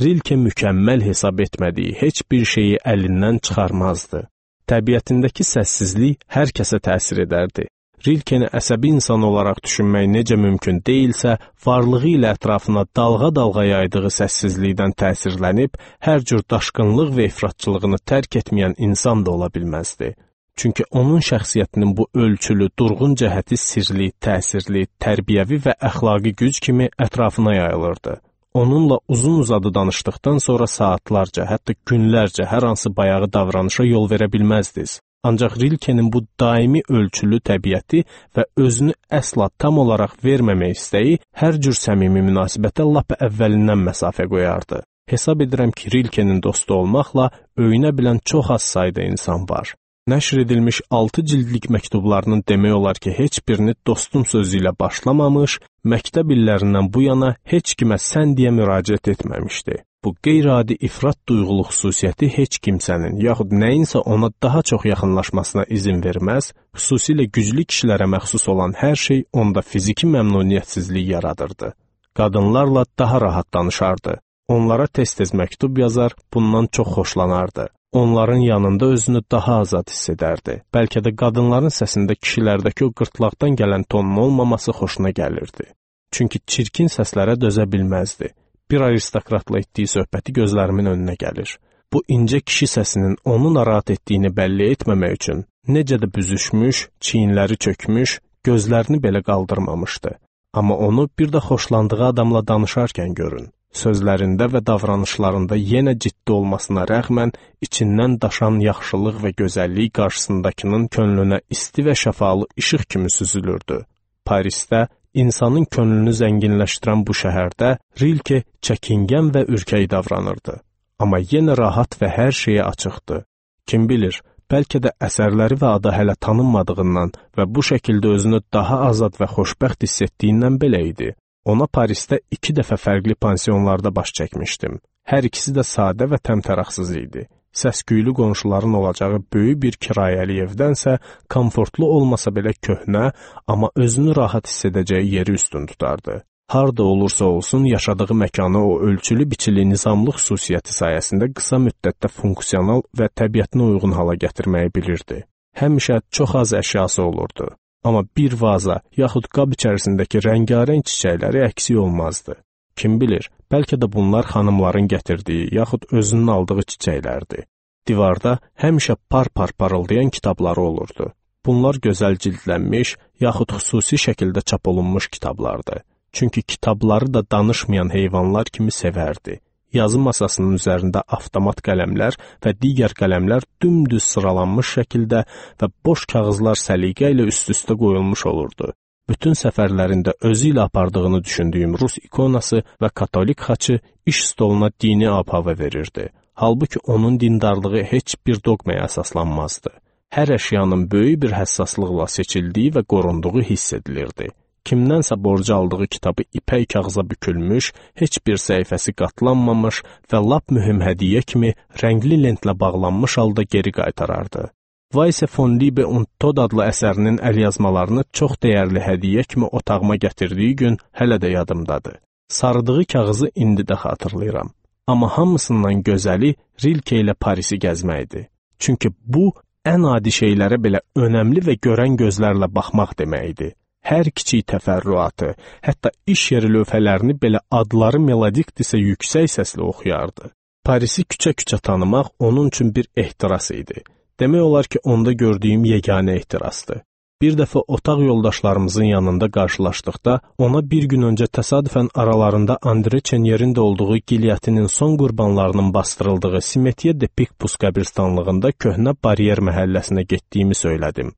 Rilke mükəmməl hesab etmədiyi heç bir şeyi əlindən çıxarmazdı. Təbiətindəki səssizlik hər kəsə təsir edərdi. Rilkeni əsəbi insan olaraq düşünmək necə mümkün deyilsə, varlığı ilə ətrafına dalğa-dalğa yaydığı səssizlikdən təsirlənib, hər cür daşqınlıq və ifratçılığını tərk etməyən insan da ola bilməzdi. Çünki onun şəxsiyyətinin bu ölçülü, durğun cəhəti sirli, təsirli, tərbiyəvi və əxlaqi güc kimi ətrafına yayılırdı. Onunla uzun-uzadı danışdıqdan sonra saatlarca, hətta günlərcə hər hansı bayağı davranışa yol verə bilməzdiniz. Ancaq Rilkenin bu daimi ölçülü təbiəti və özünü əsla tam olaraq verməmək istəyi hər cür səmimi münasibətə lap əvvəlindən məsafə qoyardı. Hesab edirəm ki, Rilkenin dostu olmaqla öyünə bilən çox az sayda insan var. Nəşr edilmiş altı cildlik məktublarının demək olar ki, heç birini dostum sözü ilə başlamamış, məktəb illərindən bu yana heç kimə sən deyə müraciət etməmişdi. Bu qeyri-adi ifrat duyğulu xüsusiyyəti heç kimsənin, yaxud nəyinsə ona daha çox yaxınlaşmasına izin verməz, xüsusilə güclü kişilərə məxsus olan hər şey onda fiziki məmnuniyyətsizlik yaradırdı. Qadınlarla daha rahat danışardı. Onlara tez-tez məktub yazar, bundan çox xoşlanardı. Onların yanında özünü daha azad hiss edərdi. Bəlkə də qadınların səsində kişilərdəki o qırtlaqdan gələn tonun olmaması xoşuna gəlirdi. Çünki çirkin səslərə dözə bilməzdi. Bir aristokratla etdiyi söhbəti gözlərimin önünə gəlir. Bu incə kişi səsinin onu narahat etdiyini bəlli etməmək üçün necə də büzüşmüş, çiyinləri çökmüş, gözlərini belə qaldırmamışdı. Amma onu bir də xoşlandığı adamla danışarkən görün. Sözlərində və davranışlarında yenə ciddi olmasına rəğmən, içindən daşan yaxşılıq və gözəllik qarşısındakının könlünə isti və şəfalı işıq kimi süzülürdü. Parisdə, insanın könlünü zənginləşdirən bu şəhərdə Rilke çəkingən və ürkək davranırdı. Amma yenə rahat və hər şeyə açıqdı. Kim bilir, bəlkə də əsərləri və adı hələ tanınmadığından və bu şəkildə özünü daha azad və xoşbəxt hiss etdiyindən belə idi. Ona Parisdə iki dəfə fərqli pansionlarda baş çəkmişdim. Hər ikisi də sadə və təmtəraqsız idi. Səsküylü qonşuların olacağı böyük bir kirayəli evdənsə, komfortlu olmasa belə köhnə, amma özünü rahat hiss edəcəyi yeri üstün tutardı. Harda olursa olsun, yaşadığı məkanı o ölçülü biçili nizamlı xüsusiyyəti sayəsində qısa müddətdə funksional və təbiətinə uyğun hala gətirməyi bilirdi. Həmişə çox az əşyası olurdu. Amma bir vaza, yaxud qab içərisindəki rəngarəng çiçəkləri əksik olmazdı. Kim bilir, bəlkə də bunlar xanımların gətirdiyi, yaxud özünün aldığı çiçəklərdi. Divarda həmişə par-par parıldayan kitabları olurdu. Bunlar gözəl cildlənmiş, yaxud xüsusi şəkildə çap olunmuş kitablardı. Çünki kitabları da danışmayan heyvanlar kimi sevərdi. Yazı masasının üzərində avtomat qələmlər və digər qələmlər dümdüz sıralanmış şəkildə və boş kağızlar səliqə ilə üst-üstə qoyulmuş olurdu. Bütün səfərlərində özü ilə apardığını düşündüyüm Rus ikonası və katolik xaçı iş stoluna dini ab-hava verirdi. Halbuki onun dindarlığı heç bir doqmaya əsaslanmazdı. Hər əşyanın böyük bir həssaslıqla seçildiyi və qorunduğu hiss edilirdi. Kimdənsə borcu aldığı kitabı ipək kağıza bükülmüş, heç bir səhifəsi qatlanmamış və lap mühüm hədiyyə kimi rəngli lentlə bağlanmış halda geri qaytarardı. Weisse von Liebe und Tod adlı əsərinin əlyazmalarını çox dəyərli hədiyyə kimi otağıma gətirdiyi gün hələ də yadımdadır. Sarıdığı kağızı indi də xatırlayıram. Amma hamısından gözəli Rilke ilə Parisi gəzməkdir. Çünki bu, ən adi şeylərə belə önəmli və görən gözlərlə baxmaq deməkdir. Hər kiçik təfərrüatı, hətta iş yeri lövhələrini belə adları melodikdirsə yüksək səslə oxuyardı. Parisi küçə-küçə tanımaq onun üçün bir ehtiras idi. Demək olar ki, onda gördüyüm yeganə ehtirasdır. Bir dəfə otaq yoldaşlarımızın yanında qarşılaşdıqda, ona bir gün öncə təsadüfən aralarında Andre Çenyerin də olduğu gilyatinin son qurbanlarının bastırıldığı Simetiye de Picpus qəbirstanlığında köhnə Baryer məhəlləsinə getdiyimi söylədim.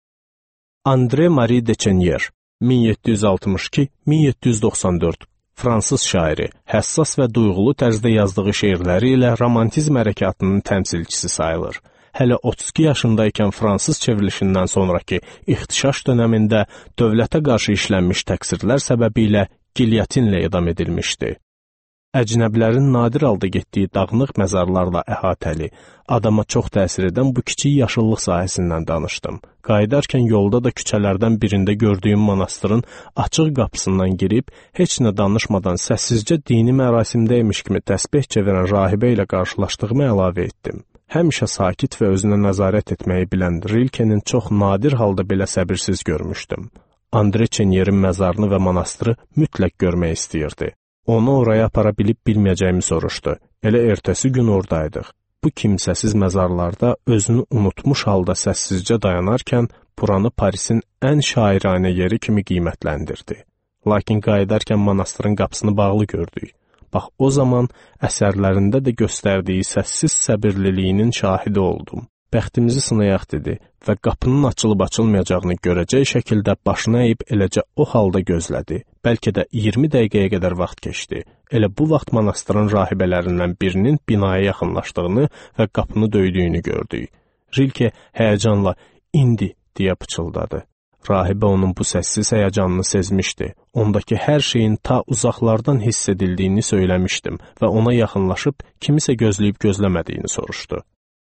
Andre Marie de Chenyer min yeddi yüz altmış iki - min yeddi yüz doxsan dörd fransız şairi, həssas və duyğulu tərzdə yazdığı şeirləri ilə romantizm hərəkatının təmsilçisi sayılır. Hələ otuz iki yaşındaykən fransız çevrilişindən sonraki ixtişaş dönəmində dövlətə qarşı işlənmiş təqsirlər səbəbilə gilyotinlə edam edilmişdi. Əcnəbilərin nadir halda getdiyi dağınıq məzarlarla əhatəli, adama çox təsir edən bu kiçik yaşıllıq sahəsindən danışdım. Qayıdarkən yolda da küçələrdən birində gördüyüm monastırın açıq qapısından girib, heç nə danışmadan səssizcə dini mərasimdəymiş kimi təsbeh çevirən rahibə ilə qarşılaşdığımı əlavə etdim. Həmişə sakit və özünə nəzarət etməyi bilən Rilkenin çox nadir halda belə səbirsiz görmüşdüm. Andre Çenyerin məzarını və monastırı mütləq görmək istəyirdi. Onu oraya apara bilib bilməyəcəyimi soruşdu. Elə ertəsi gün oradaydıq. Bu kimsəsiz məzarlarda özünü unutmuş halda səssizcə dayanarkən buranı Parisin ən şairanə yeri kimi qiymətləndirdi. Lakin qayıdarkən monastırın qapısını bağlı gördük. Bax o zaman əsərlərində də göstərdiyi səssiz səbirliliyinin şahidi oldum. Bəxtimizi sınayaq dedi və qapının açılıb açılmayacağını görəcək şəkildə başını əyib eləcə o halda gözlədi. Bəlkə də iyirmi dəqiqəyə qədər vaxt keçdi. Elə bu vaxt monastırın rahibələrindən birinin binaya yaxınlaşdığını və qapını döydüyünü gördük. Rilke həyəcanla "İndi" deyə pıçıldadı. Rahibə onun bu səssiz həyəcanını sezmişdi. Ondakı hər şeyin ta uzaqlardan hiss edildiyini söyləmişdim və ona yaxınlaşıb kimisə gözləyib gözləmədiyini soruşdu.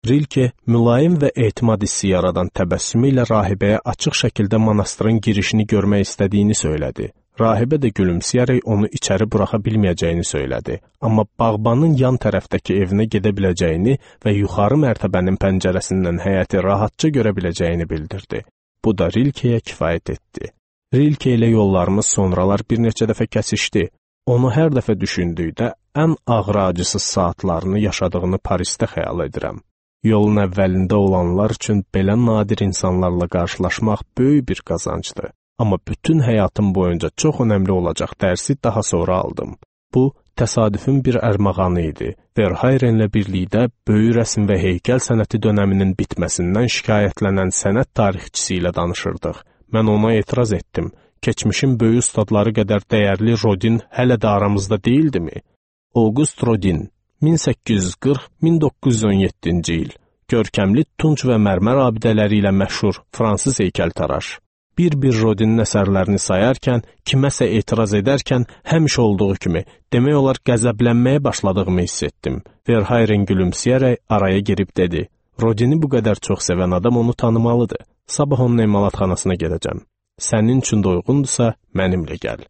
Rilke mülayim və etimad hissi yaradan təbəssümü ilə rahibəyə açıq şəkildə monastırın girişini görmək istədiyini söylədi. Rahibə də gülümsəyərək onu içəri buraxa bilməyəcəyini söylədi. Amma bağbanın yan tərəfdəki evinə gedə biləcəyini və yuxarı mərtəbənin pəncərəsindən həyəti rahatca görə biləcəyini bildirdi. Bu da Rilkeyə kifayət etdi. Rilke ilə yollarımız sonralar bir neçə dəfə kəsişdi. Onu hər dəfə düşündükdə ən ağır acısız saatlarını yaşadığını Parisdə xəyal edirəm. Yolun əvvəlində olanlar üçün belə nadir insanlarla qarşılaşmaq böyük bir qazancdır. Amma bütün həyatım boyunca çox önəmli olacaq dərsi daha sonra aldım. Bu, təsadüfün bir ərmağanı idi. Verhayrenlə birlikdə böyük rəsm və heykəl sənəti dönəminin bitməsindən şikayətlənən sənət tarixçisi ilə danışırdıq. Mən ona etiraz etdim. Keçmişin böyük ustadları qədər dəyərli Rodin hələ də aramızda deyildimi? Auguste Rodin, min səkkiz yüz qırx - min doqquz yüz on yeddinci il. Görkəmli tunç və mərmər abidələri ilə məşhur fransız heykəltaraş. Bir-bir Rodinin əsərlərini sayarkən, kiməsə etiraz edərkən həmişə olduğu kimi, demək olar qəzəblənməyə başladığımı hiss etdim. Verhayren gülümsəyərək araya girib dedi: "Rodini bu qədər çox sevən adam onu tanımalıdır. Sabah onun emalatxanasına gedəcəm. Sənin üçün də uyğundursa, mənimlə gəl."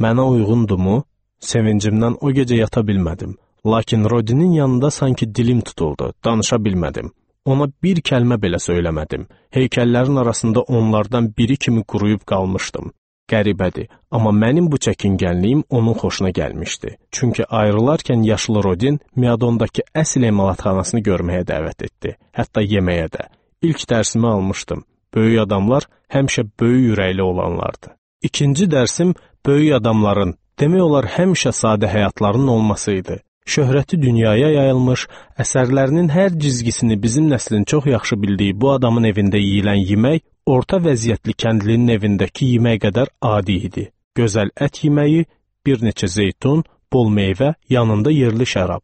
Mənə uyğundumu? Sevincimdən o gecə yata bilmədim. Lakin Rodinin yanında sanki dilim tutuldu, danışa bilmədim. Ona bir kəlmə belə söyləmədim. Heykəllərin arasında onlardan biri kimi quruyub qalmışdım. Qəribədir, amma mənim bu çəkingənliyim onun xoşuna gəlmişdi. Çünki ayrılarkən yaşlı Rodin Miadondakı əsl emalatxanasını görməyə dəvət etdi, hətta yeməyə də. İlk dərsimi almışdım. Böyük adamlar həmişə böyük ürəkli olanlardı. İkinci dərsim böyük adamların, demək olar həmişə sadə həyatlarının olması idi. Şöhrəti dünyaya yayılmış, əsərlərinin hər cizgisini bizim nəslin çox yaxşı bildiyi bu adamın evində yeyilən yemək, orta vəziyyətli kəndlinin evindəki yemək qədər adi idi. Gözəl ət yeməyi, bir neçə zeytun, bol meyvə, yanında yerli şərab.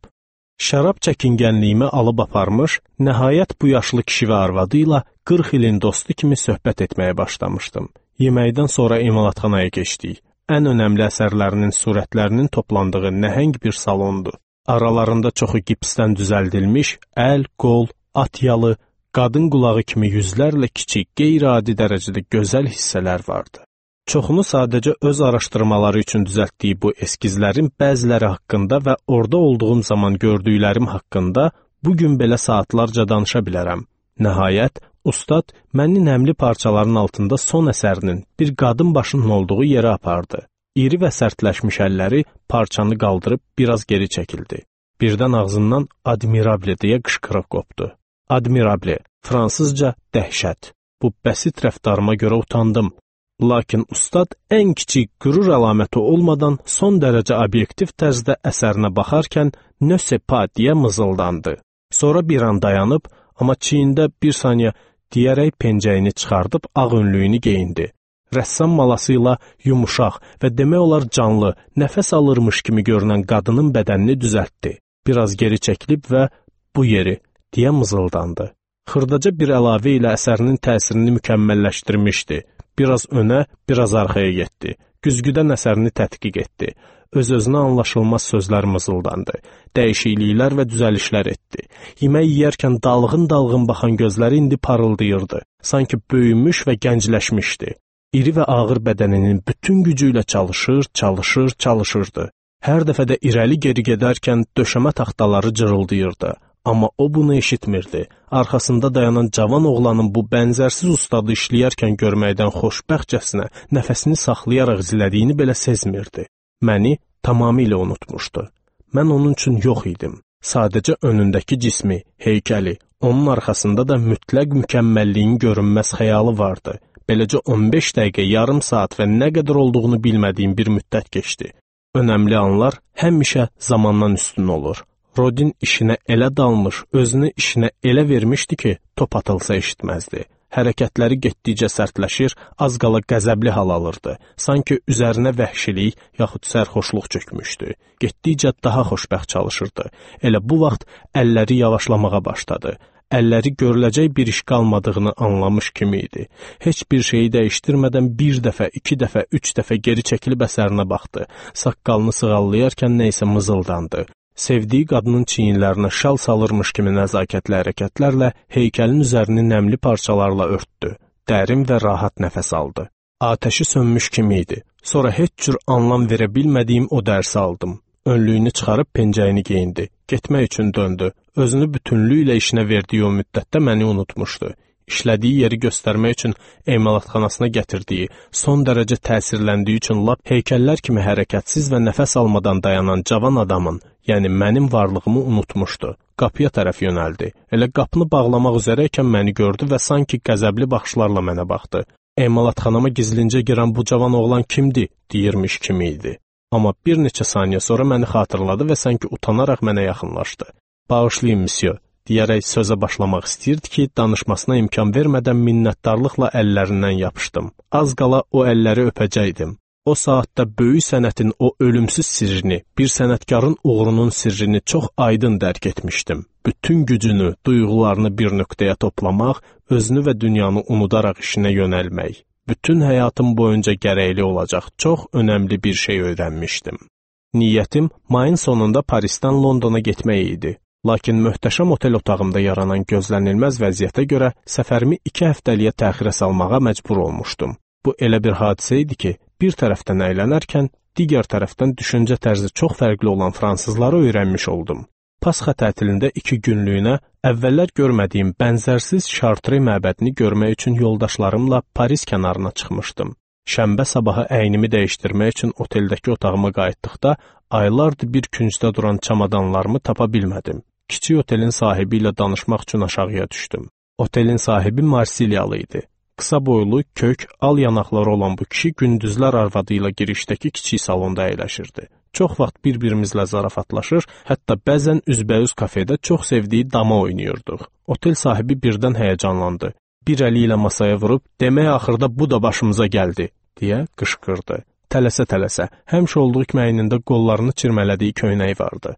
Şərab çəkingənliyimi alıb aparmış, nəhayət bu yaşlı kişi və arvadı ilə qırx ilin dostu kimi söhbət etməyə başlamışdım. Yeməkdən sonra emalatxanaya keçdik. Ən önəmli əsərlərinin surətlərinin toplandığı nəhəng bir salondu. Aralarında çoxu gipsdən düzəldilmiş, əl, qol, at yalı, qadın qulağı kimi yüzlərlə kiçik, qeyri-adi dərəcədə gözəl hissələr vardı. Çoxunu sadəcə öz araşdırmaları üçün düzəltdiyi bu eskizlərin bəziləri haqqında və orada olduğum zaman gördüklərim haqqında bugün belə saatlarca danışa bilərəm. Nəhayət, ustad məni nəmli parçaların altında son əsərinin bir qadın başının olduğu yerə apardı. İri və sərtləşmiş əlləri parçanı qaldırıb biraz geri çəkildi. Birdən ağzından "Admirable" deyə qışqırıq qopdu. Admirable, fransızca dəhşət. Bu bəsit rəftarıma görə utandım. Lakin ustad ən kiçik qürur əlaməti olmadan son dərəcə obyektiv tərzdə əsərinə baxarkən "Ne sais pas" deyə mızıldandı. Sonra bir an dayanıb, amma çiyində bir saniyə deyərək pencəyini çıxardıb ağ önlüyünü geyindi. Rəssam malası ilə yumuşaq və demək olar canlı, nəfəs alırmış kimi görünən qadının bədənini düzəltdi. Biraz geri çəkilib və "Bu yeri" deyə mızıldandı. Xırdaca bir əlavə ilə əsərinin təsirini mükəmməlləşdirmişdi. Biraz önə, biraz arxaya getdi. Güzgüdən əsərini tədqiq etdi. Öz-özünə anlaşılmaz sözlər mızıldandı. Dəyişikliklər və düzəlişlər etdi. Yemək yeyərkən dalğın-dalğın baxan gözləri indi parıldayırdı. Sanki böyümüş və gəncləşmişdi. İri və ağır bədəninin bütün gücü ilə çalışır, çalışır, çalışırdı. Hər dəfə də irəli-geri gedərkən döşəmə taxtaları cırıldayırdı. Amma o bunu eşitmirdi. Arxasında dayanan cavan oğlanın bu bənzərsiz ustadı işləyərkən görməkdən xoşbəxtcəsinə nəfəsini saxlayaraq izlədiyini belə sezmirdi. Məni tamamilə unutmuşdu. Mən onun üçün yox idim. Sadəcə önündəki cismi, heykəli, onun arxasında da mütləq mükəmməlliyin görünməz xəyalı vardı. Beləcə on beş dəqiqə, yarım saat və nə qədər olduğunu bilmədiyim bir müddət keçdi. Önəmli anlar həmişə zamandan üstün olur. Rodin işinə elə dalmış, özünü işinə elə vermişdi ki, top atılsa eşitməzdi. Hərəkətləri getdikcə sərtləşir, az qala qəzəbli hal alırdı. Sanki üzərinə vəhşilik yaxud sərxoşluq çökmüşdü. Getdikcə daha xoşbəxt çalışırdı. Elə bu vaxt əlləri yavaşlamağa başladı. Əlləri görüləcək bir iş qalmadığını anlamış kimi idi. Heç bir şeyi dəyişdirmədən bir dəfə, iki dəfə, üç dəfə geri çəkilib əsərinə baxdı. Saqqalını sığallayarkən nəysə mızıldandı. Sevdiyi qadının çiyinlərinə şal salırmış kimi nəzakətli hərəkətlərlə heykəlin üzərini nəmli parçalarla örtdü. Dərin və rahat nəfəs aldı. Atəşi sönmüş kimi idi. Sonra heç cür anlam verə bilmədiyim o dərsi aldım. Önlüyünü çıxarıb pencəyini geyindi. Getmək üçün döndü. Özünü bütünlüklə işinə verdiyi o müddətdə məni unutmuşdu. İşlədiyi yeri göstərmək üçün emalatxanasına gətirdiyi, son dərəcə təsirləndiyi üçün lap heykəllər kimi hərəkətsiz və nəfəs almadan dayanan cavan adamın, yəni mənim varlığımı unutmuşdu. Qapıya tərəf yönəldi. Elə qapını bağlamaq üzrəykən məni gördü və sanki qəzəbli baxışlarla mənə baxdı. Emalatxanama gizlincə girən bu cavan oğlan kimdir, deyirmiş kimi idi. Amma bir neçə saniyə sonra məni xatırladı və sanki utanaraq mənə yaxınlaşdı. "Bağışlayın, müsyo," deyərək sözə başlamaq istəyirdi ki, danışmasına imkan vermədən minnətdarlıqla əllərindən yapışdım. Az qala o əlləri öpəcəkdim. O saatda böyük sənətin o ölümsüz sirrini, bir sənətkarın uğrunun sirrini çox aydın dərk etmişdim. Bütün gücünü, duyğularını bir nöqtəyə toplamaq, özünü və dünyanı unudaraq işinə yönəlmək. Bütün həyatım boyunca gərəkli olacaq çox önəmli bir şey öyrənmişdim. Niyyətim mayın sonunda Parisdən Londona getmək idi. Lakin möhtəşəm otel otağımda yaranan gözlənilməz vəziyyətə görə səfərimi iki həftəliyə təxirə salmağa məcbur olmuşdum. Bu elə bir hadisə idi ki, bir tərəfdən əylənərkən, digər tərəfdən düşüncə tərzi çox fərqli olan fransızları öyrənmiş oldum. Pasxa tətilində iki günlüyünə əvvəllər görmədiyim bənzərsiz Şartre məbədini görmək üçün yoldaşlarımla Paris kənarına çıxmışdım. Şənbə sabahı əynimi dəyişdirmək üçün oteldəki otağıma qayıtdıqda aylardır bir küncdə duran çamadanlarımı tapa bilmədim. Kiçik otelin sahibi ilə danışmaq üçün aşağıya düşdüm. Otelin sahibi Marsilyalı idi. Qısa boylu, kök, al yanaqları olan bu kişi gündüzlər arvadı ilə girişdəki kiçik salonda əyləşirdi. Çox vaxt bir-birimizlə zarafatlaşır, hətta bəzən üzbəüz kafedə çox sevdiyi dama oynayırdıq. Otel sahibi birdən həyəcanlandı. Bir əli ilə masaya vurub, "Demək axırda bu da başımıza gəldi," deyə qışqırdı. Tələsə-tələsə, həmişə olduğu kimi əynində qollarını çirmələdiyi köynəyi vardı.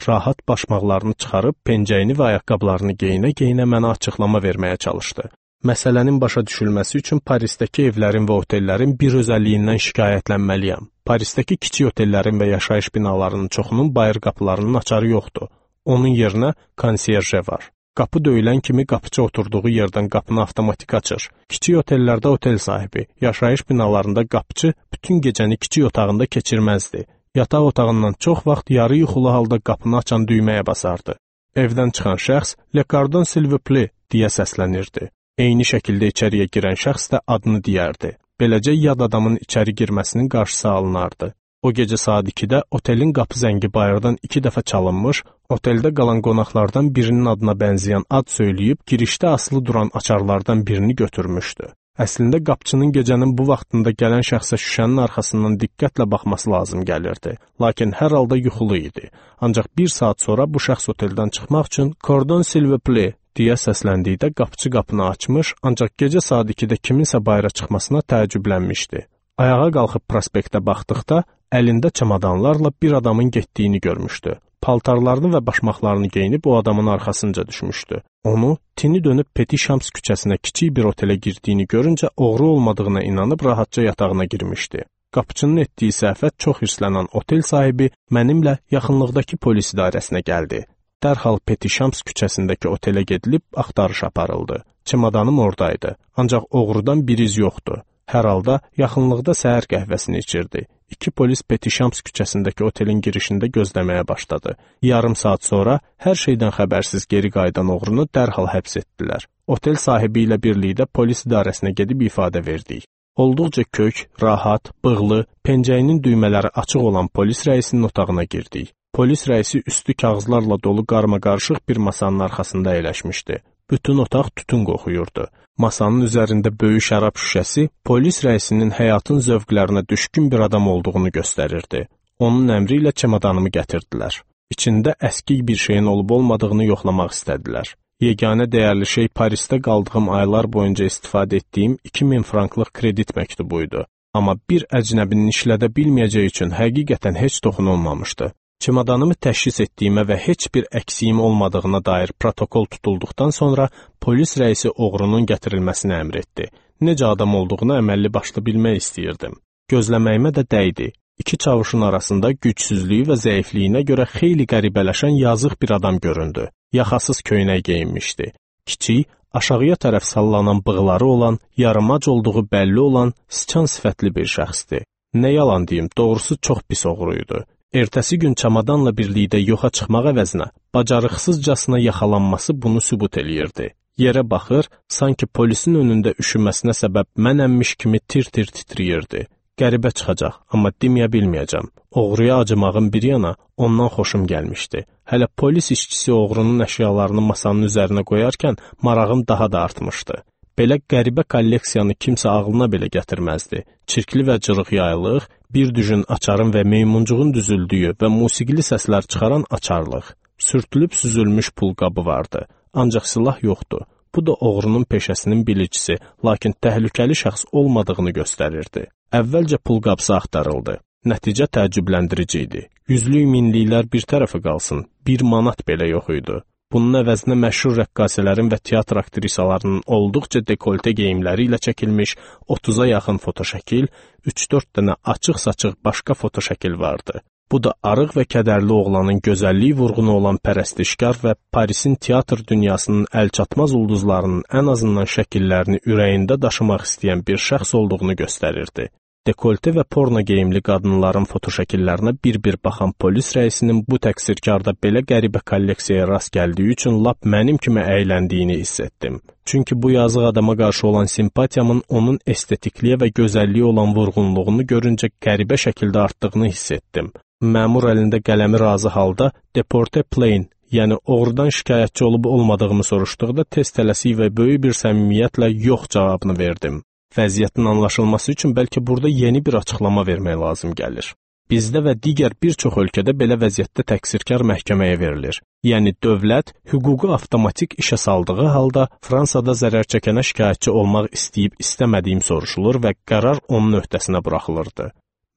Rahat başmaqlarını çıxarıb, pencəyini və ayaqqabılarını geyinə-geyinə mənə açıqlama verməyə çalışdı. Məsələnin başa düşülməsi üçün Parisdəki evlərin və otellərin bir özəlliyindən şikayətlənməliyəm. Parisdəki kiçik otellərin və yaşayış binalarının çoxunun bayır qapılarının açarı yoxdur. Onun yerinə konsiyerje var. Qapı döyülən kimi qapıçı oturduğu yerdən qapını avtomatik açır. Kiçik otellərdə otel sahibi, yaşayış binalarında qapıçı bütün gecəni kiçik otağında keçirməzdi. Yataq otağından çox vaxt yarı yuxulu halda qapını açan düyməyə basardı. Evdən çıxan şəxs "Le cordon s'il vous plaît" deyə səslənirdi. Eyni şəkildə içəriyə girən şəxs də adını deyərdi. Beləcə yad adamın içəri girməsinin qarşısı alınardı. O gecə saat ikidə otelin qapı zəngi bayırdan iki dəfə çalınmış, oteldə qalan qonaqlardan birinin adına bənzəyən ad söyləyib girişdə asılı duran açarlardan birini götürmüşdü. Əslində qapıçının gecənin bu vaxtında gələn şəxsə şüşənin arxasından diqqətlə baxması lazım gəlirdi. Lakin hər halda yuxulu idi. Ancaq bir saat sonra bu şəxs oteldən çıxmaq üçün "Cordon s'il vous plaît" deyə səsləndikdə qapıçı qapını açmış, ancaq gecə saat ikidə kiminsə bayıra çıxmasına təəccüblənmişdi. Ayağa qalxıb prospektə baxdıqda əlində çamadanlarla bir adamın getdiyini görmüşdü. Paltarlarını və başmaqlarını geyinib o adamın arxasınca düşmüşdü. Onu tini dönüb Petit Champs küçəsinə kiçik bir otelə girdiyini görüncə oğru olmadığına inanıb rahatca yatağına girmişdi. Qapıçının etdiyi səhvət çox hirslənən otel sahibi mənimlə yaxınlıqdakı polis idarəsinə gəldi. Dərhal Petit Champs küçəsindəki otelə gedilib axtarış aparıldı. Çimadanım oradaydı, ancaq oğrudan bir iz yoxdu. Hər halda yaxınlıqda səhər qəhvəsini içirdi. İki polis Petit Champs küçəsindəki otelin girişində gözləməyə başladı. Yarım saat sonra hər şeydən xəbərsiz geri qayıdan oğrunu dərhal həbs etdilər. Otel sahibi ilə birlikdə polis idarəsinə gedib ifadə verdik. Olduqca kök, rahat, bığlı, pencəyinin düymələri açıq olan polis rəisinin otağına girdik. Polis rəisi üstü kağızlarla dolu qarmaqarışıq bir masanın arxasında əyləşmişdi. Bütün otaq tütün qoxuyurdu. Masanın üzərində böyük şərab şüşəsi polis rəisinin həyatın zövqlərinə düşkün bir adam olduğunu göstərirdi. Onun əmri ilə çamadanımı gətirdilər. İçində əskik bir şeyin olub-olmadığını yoxlamaq istədilər. Yeganə dəyərli şey Parisdə qaldığım aylar boyunca istifadə etdiyim iki min franklıq kredit məktubu idi. Amma bir əcnəbinin işlədə bilməyəcəyi üçün həqiqətən heç toxunulmamışdı. Çimadanımı təşxis etdiyimə və heç bir əksiyim olmadığına dair protokol tutulduqdan sonra polis rəisi oğrunun gətirilməsini əmr etdi. Necə adam olduğunu əməlli başlı bilmək istəyirdim. Gözləməyimə də dəydi. İki çavuşun arasında gücsüzlüyü və zəifliyinə görə xeyli qəribələşən yazıq bir adam göründü. Yaxasız köynək geyinmişdi. Kiçik, aşağıya tərəf sallanan bığları olan, yarımac olduğu bəlli olan, sıçan sifətli bir şəxsdir. Nə yalan deyim, doğrusu çox pis oğruydu. Ertəsi gün çamadanla birlikdə yoxa çıxmaq əvəzinə, bacarıqsızcasına yaxalanması bunu sübut eləyirdi. Yerə baxır, sanki polisin önündə üşüməsinə səbəb mənəmmiş kimi tir-tir titriyirdi. Qəribə çıxacaq, amma deməyə bilməyəcəm. Oğruya acımağın bir yana, ondan xoşum gəlmişdi. Hələ polis işçisi oğrunun əşyalarını masanın üzərinə qoyarkən marağım daha da artmışdı. Belə qəribə kolleksiyanı kimsə ağlına belə gətirməzdi. Çirkli və cırıq yaylıq, bir düjün açarın və meymuncuğun düzüldüyü və musiqili səslər çıxaran açarlıq. Sürtülüb süzülmüş pulqabı vardı. Ancaq silah yoxdu. Bu da oğrunun peşəsinin bilicisi, lakin təhlükəli şəxs olmadığını göstərirdi. Əvvəlcə pulqabısı axtarıldı. Nəticə təəccübləndirici idi. Yüzlük minliklər bir tərəfə qalsın, bir manat belə yox idi. Bunun əvəzinə məşhur rəqqasələrin və teatr aktrisalarının olduqca dekolte geyimləri ilə çəkilmiş otuza yaxın fotoşəkil, üç dörd dənə açıq-saçıq başqa fotoşəkil vardı. Bu da arıq və kədərli oğlanın gözəlliyi vurğunu olan pərəstişkar və Parisin teatr dünyasının əlçatmaz ulduzlarının ən azından şəkillərini ürəyində daşımaq istəyən bir şəxs olduğunu göstərirdi. Dekolte və porno geyimli qadınların fotoşəkillərinə bir-bir baxan polis rəisinin bu təqsirkarda belə qəribə kolleksiyaya rast gəldiyi üçün lap mənim kimi əyləndiyini hiss etdim. Çünki bu yazıq adama qarşı olan simpatiyamın onun estetikliyə və gözəlliyə olan vurğunluğunu görüncə qəribə şəkildə artdığını hiss etdim. Məmur əlində qələmi razı halda Deporte Plain, yəni oğrudan şikayətçi olub olmadığımı soruşduqda tez tələsik və böyük bir səmimiyyətlə yox cavabını verdim. Vəziyyətin anlaşılması üçün bəlkə burada yeni bir açıqlama vermək lazım gəlir. Bizdə və digər bir çox ölkədə belə vəziyyətdə təqsirkar məhkəməyə verilir. Yəni dövlət hüququ avtomatik işə saldığı halda Fransada zərər çəkənə şikayətçi olmaq istəyib istəmədiyim soruşulur və qərar onun öhdəsinə buraxılırdı.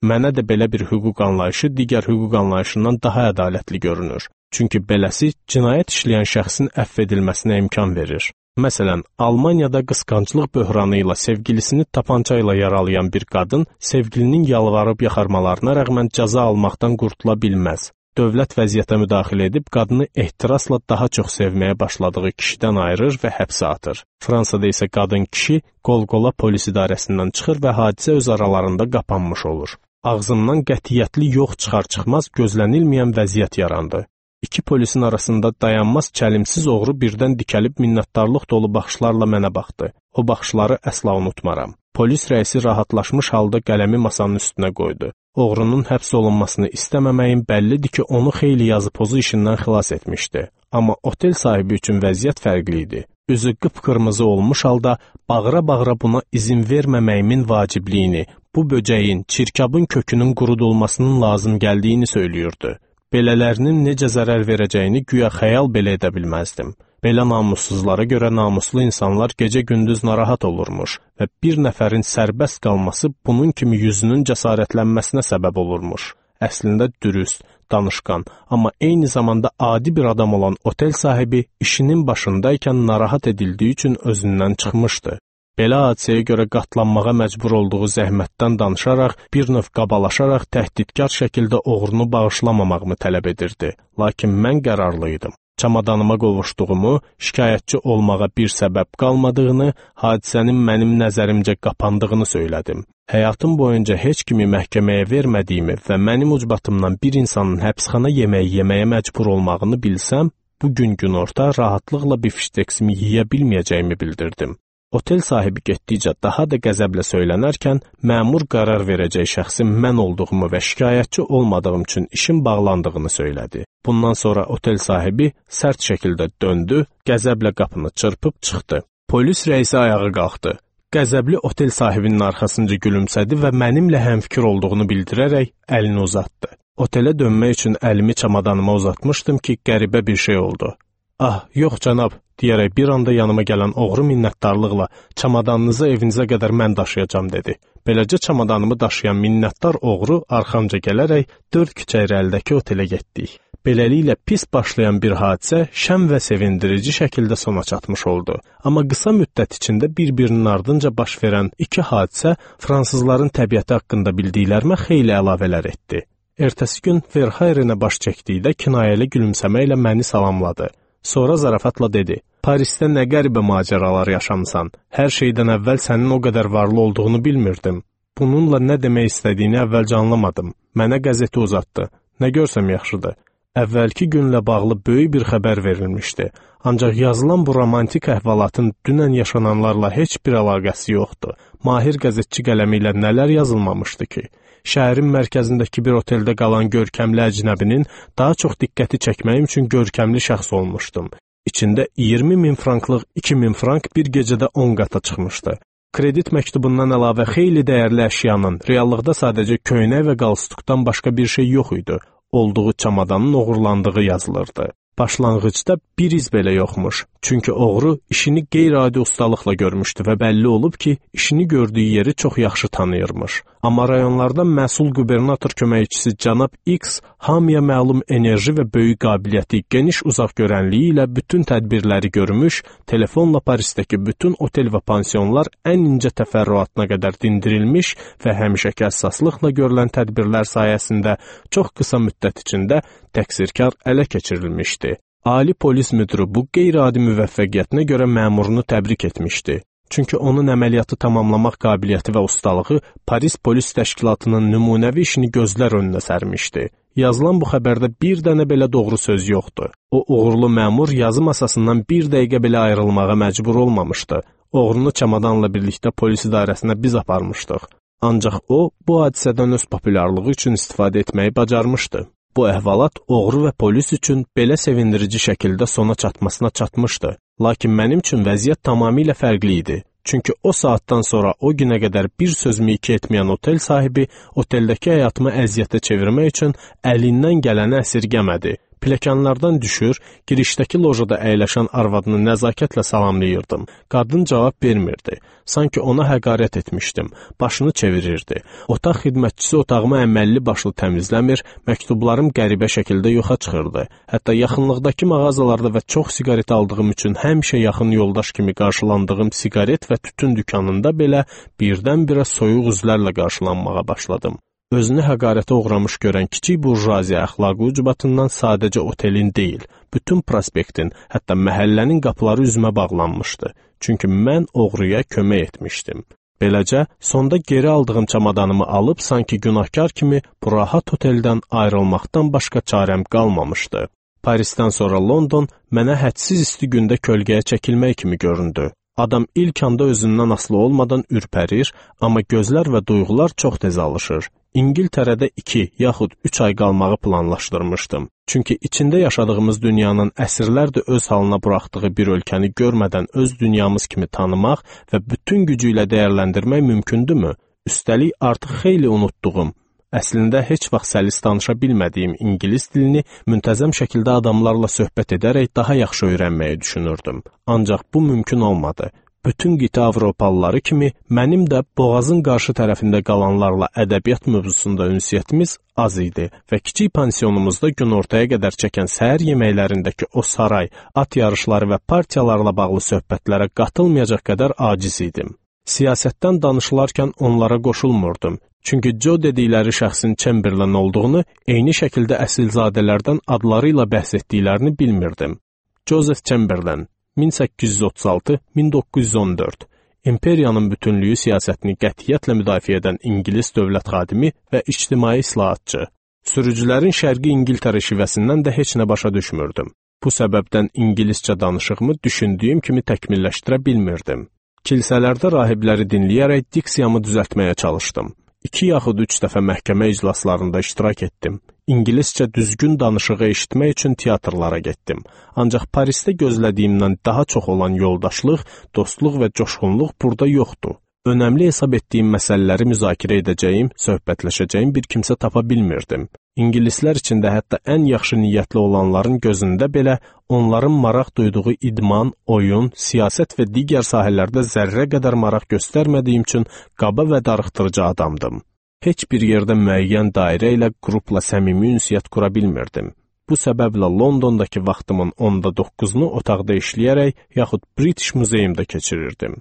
Mənə də belə bir hüquq anlayışı digər hüquq anlayışından daha ədalətli görünür. Çünki beləsi cinayət işləyən şəxsin əfv edilməsinə imkan verir. Məsələn, Almaniyada qısqanclıq böhranı ilə sevgilisini tapança ilə yaralayan bir qadın sevgilinin yalvarıb yaxarmalarına rəğmən cəza almaqdan qurtula bilməz. Dövlət vəziyyətə müdaxilə edib qadını ehtirasla daha çox sevməyə başladığı kişidən ayırır və həbsə atır. Fransada isə qadın kişi qol-qola polis idarəsindən çıxır və hadisə öz aralarında qapanmış olur. Ağzımdan qətiyyətli yox çıxar-çıxmaz gözlənilməyən vəziyyət yarandı. İki polisin arasında dayanmaz çəlimsiz oğru birdən dikəlib minnətdarlıq dolu baxışlarla mənə baxdı. O baxışları əsla unutmaram. Polis rəisi rahatlaşmış halda qələmi masanın üstünə qoydu. Oğrunun həbs olunmasını istəməməyin bəllidir ki, onu xeyli yazı pozu işindən xilas etmişdi. Amma otel sahibi üçün vəziyyət fərqli idi. Üzü qıpqırmızı olmuş halda bağıra-bağıra buna izin verməməyimin vacibliyini, bu böcəyin, çirkabın kökünün qurudulmasının lazım gəldiyini söylüyordu. Belələrinin necə zərər verəcəyini güya xəyal belə edə bilməzdim. Belə namussuzlara görə namuslu insanlar gecə-gündüz narahat olurmuş və bir nəfərin sərbəst qalması bunun kimi yüzünün cəsarətlənməsinə səbəb olurmuş. Əslində dürüst, danışqan, amma eyni zamanda adi bir adam olan otel sahibi işinin başındaykən narahat edildiyi üçün özündən çıxmışdı. Belə hadisəyə görə qatlanmağa məcbur olduğu zəhmətdən danışaraq, bir növ qabalaşaraq təhdidkar şəkildə oğrunu bağışlamamağımı tələb edirdi. Lakin mən qərarlı idim. Çamadanıma qovuşduğumu, şikayətçi olmağa bir səbəb qalmadığını, hadisənin mənim nəzərimcə qapandığını söylədim. Həyatım boyunca heç kimi məhkəməyə vermədiyimi və mənim ucbatımdan bir insanın həbsxana yeməyi yeməyə məcbur olmağını bilsəm, bu gün günorta rahatlıqla bifşteksimi yeyə bilməyəcəyimi bildirdim. Otel sahibi getdikcə daha da qəzəblə söylənərkən, məmur qərar verəcək şəxsin mən olduğumu və şikayətçi olmadığım üçün işin bağlandığını söylədi. Bundan sonra otel sahibi sərt şəkildə döndü, qəzəblə qapını çırpıb çıxdı. Polis rəisi ayağa qalxdı. Qəzəbli otel sahibinin arxasınca gülümsədi və mənimlə həmfikir olduğunu bildirərək əlini uzatdı. Otelə dönmək üçün əlimi çamadanıma uzatmışdım ki, qəribə bir şey oldu. Ah, yox cənab, deyərək bir anda yanıma gələn oğru minnətdarlıqla çamadanınızı evinizə qədər mən daşıyacam dedi. Beləcə çamadanımı daşıyan minnətdar oğru arxamca gələrək dörd küçə irəlidəki otelə getdik. Beləliklə pis başlayan bir hadisə şən və sevindirici şəkildə sona çatmış oldu. Amma qısa müddət içində bir-birinin ardınca baş verən iki hadisə fransızların təbiəti haqqında bildiklərimə xeyli əlavələr etdi. Ertəsi gün Verhayrenə baş çəkdikdə kinayəli gülümsəməklə məni salamladı. Sonra zarafatla dedi, Parisdə nə qəribə macəralar yaşamısan, hər şeydən əvvəl sənin o qədər varlı olduğunu bilmirdim. Bununla nə demək istədiyini əvvəlcə anlamadım. Mənə qəzeti uzatdı. Nə görsəm yaxşıdır. Əvvəlki günlə bağlı böyük bir xəbər verilmişdi. Ancaq yazılan bu romantik əhvalatın dünən yaşananlarla heç bir əlaqəsi yoxdur. Mahir qəzetçi qələmi ilə nələr yazılmamışdı ki? Şəhərin mərkəzindəki bir oteldə qalan görkəmli əcnəbinin daha çox diqqəti çəkməyim üçün görkəmli şəxs olmuşdum. İçində iyirmi min franklıq iki min frank bir gecədə on qata çıxmışdı. Kredit məktubundan əlavə xeyli dəyərli əşyanın, reallıqda sadəcə köynək və qalstukdan başqa bir şey yox idi. Olduğu çamadanın oğurlandığı yazılırdı. Başlanğıcda bir iz belə yoxmuş. Çünki oğru işini qeyri-adi ustalıqla görmüşdü və bəlli olub ki, işini gördüyü yeri çox yaxşı tanıyırmış. Amma rayonlardan məsul qubernator köməkçisi cənab X hamıya məlum enerji və böyük qabiliyyəti, geniş uzaq görənliyi ilə bütün tədbirləri görmüş, telefonla Parisdəki bütün otel və pansionlar ən incə təfərrüatına qədər dindirilmiş və həmişəki həssaslıqla görülən tədbirlər sayəsində çox qısa müddət içində təqsirkar ələ keçirilmişdi. Ali polis müdürü bu qeyri-adi müvəffəqiyyətinə görə məmurunu təbrik etmişdi. Çünki onun əməliyyatı tamamlamaq qabiliyyəti və ustalığı Paris polis təşkilatının nümunəvi işini gözlər önünə sərmişdi. Yazılan bu xəbərdə bir dənə belə doğru söz yoxdur. O uğurlu məmur yazı masasından bir dəqiqə belə ayrılmağa məcbur olmamışdı. Oğrunu çamadanla birlikdə polis idarəsinə biz aparmışdıq. Ancaq o, bu hadisədən öz populyarlığı üçün istifadə etməyi bacarmışdı. Bu əhvalat oğru və polis üçün belə sevindirici şəkildə sona çatmasına çatmışdı. Lakin mənim üçün vəziyyət tamamilə fərqli idi. Çünki o saatdan sonra o günə qədər bir sözümü iki etməyən otel sahibi oteldəki həyatımı əziyyətə çevirmək üçün əlindən gələni əsirgəmədi. Pilləkənlərdən düşür, girişdəki lojada əyləşən arvadını nəzakətlə salamlayırdım. Qadın cavab vermirdi. Sanki ona həqarət etmişdim. Başını çevirirdi. Otaq xidmətçisi otağımı əməlli başlı təmizləmir, məktublarım qəribə şəkildə yoxa çıxırdı. Hətta yaxınlıqdakı mağazalarda və çox siqaret aldığım üçün həmişə yaxın yoldaş kimi qarşılandığım siqaret və tütün dükanında belə birdən-birə soyuq üzlərlə qarşılanmağa başladım. Özünü həqarətə uğramış görən kiçik burjuaziya əxlaqı ucbatından sadəcə otelin deyil, bütün prospektin, hətta məhəllənin qapıları üzümə bağlanmışdı. Çünki mən oğruya kömək etmişdim. Beləcə, sonda geri aldığım çamadanımı alıb, sanki günahkar kimi bu rahat oteldən ayrılmaqdan başqa çarəm qalmamışdı. Parisdən sonra London mənə hədsiz isti gündə kölgəyə çəkilmək kimi göründü. Adam ilk anda özündən asılı olmadan ürpərir, amma gözlər və duyğular çox tez alışır. İngiltərədə iki, yaxud üç ay qalmağı planlaşdırmışdım. Çünki içində yaşadığımız dünyanın əsrlərdir öz halına buraxdığı bir ölkəni görmədən öz dünyamız kimi tanımaq və bütün gücü ilə dəyərləndirmək mümkündürmü? Üstəlik artıq xeyli unutduğum, əslində heç vaxt səlis danışa bilmədiyim ingilis dilini müntəzəm şəkildə adamlarla söhbət edərək daha yaxşı öyrənməyi düşünürdüm. Ancaq bu mümkün olmadı. Bütün qitə Avropalıları kimi mənim də boğazın qarşı tərəfində qalanlarla ədəbiyyat mövzusunda ünsiyyətimiz az idi və kiçik pansionumuzda günortaya qədər çəkən səhər yeməklərindəki o saray, at yarışları və partiyalarla bağlı söhbətlərə qatılmayacaq qədər aciz idim. Siyasətdən danışılarkən onlara qoşulmurdum. Çünki Joe dedikləri şəxsin Chamberlain olduğunu, eyni şəkildə əsilzadələrdən adları ilə bəhs etdiklərini bilmirdim. Joseph Chamberlain min səkkiz yüz otuz altı - min doqquz yüz on dörd İmperiyanın bütünlüyü siyasətini qətiyyətlə müdafiə edən İngilis dövlət xadimi və ictimai islahatçı. Sürücülərin şərqi İngiltərə şivəsindən də heç nə başa düşmürdüm. Bu səbəbdən ingiliscə danışığımı düşündüyüm kimi təkmilləşdirə bilmirdim. Kilsələrdə rahibləri dinləyərək diksiyamı düzəltməyə çalışdım. İki yaxud üç dəfə məhkəmə iclaslarında iştirak etdim. İngiliscə düzgün danışığı eşitmək üçün teatrlara getdim. Ancaq Parisdə gözlədiyimdən daha çox olan yoldaşlıq, dostluq və coşğunluq burada yoxdur. Önəmli hesab etdiyim məsələləri müzakirə edəcəyim, söhbətləşəcəyim bir kimsə tapa bilmirdim. İngilislər içində hətta ən yaxşı niyyətli olanların gözündə belə onların maraq duyduğu idman, oyun, siyasət və digər sahələrdə zərrə qədər maraq göstərmədiyim üçün qaba və darıxdırıcı adamdım. Heç bir yerdə müəyyən dairə ilə qrupla səmimi ünsiyyət qura bilmirdim. Bu səbəblə Londondakı vaxtımın onda doqquzunu otaqda işləyərək yaxud British Museumda keçirirdim.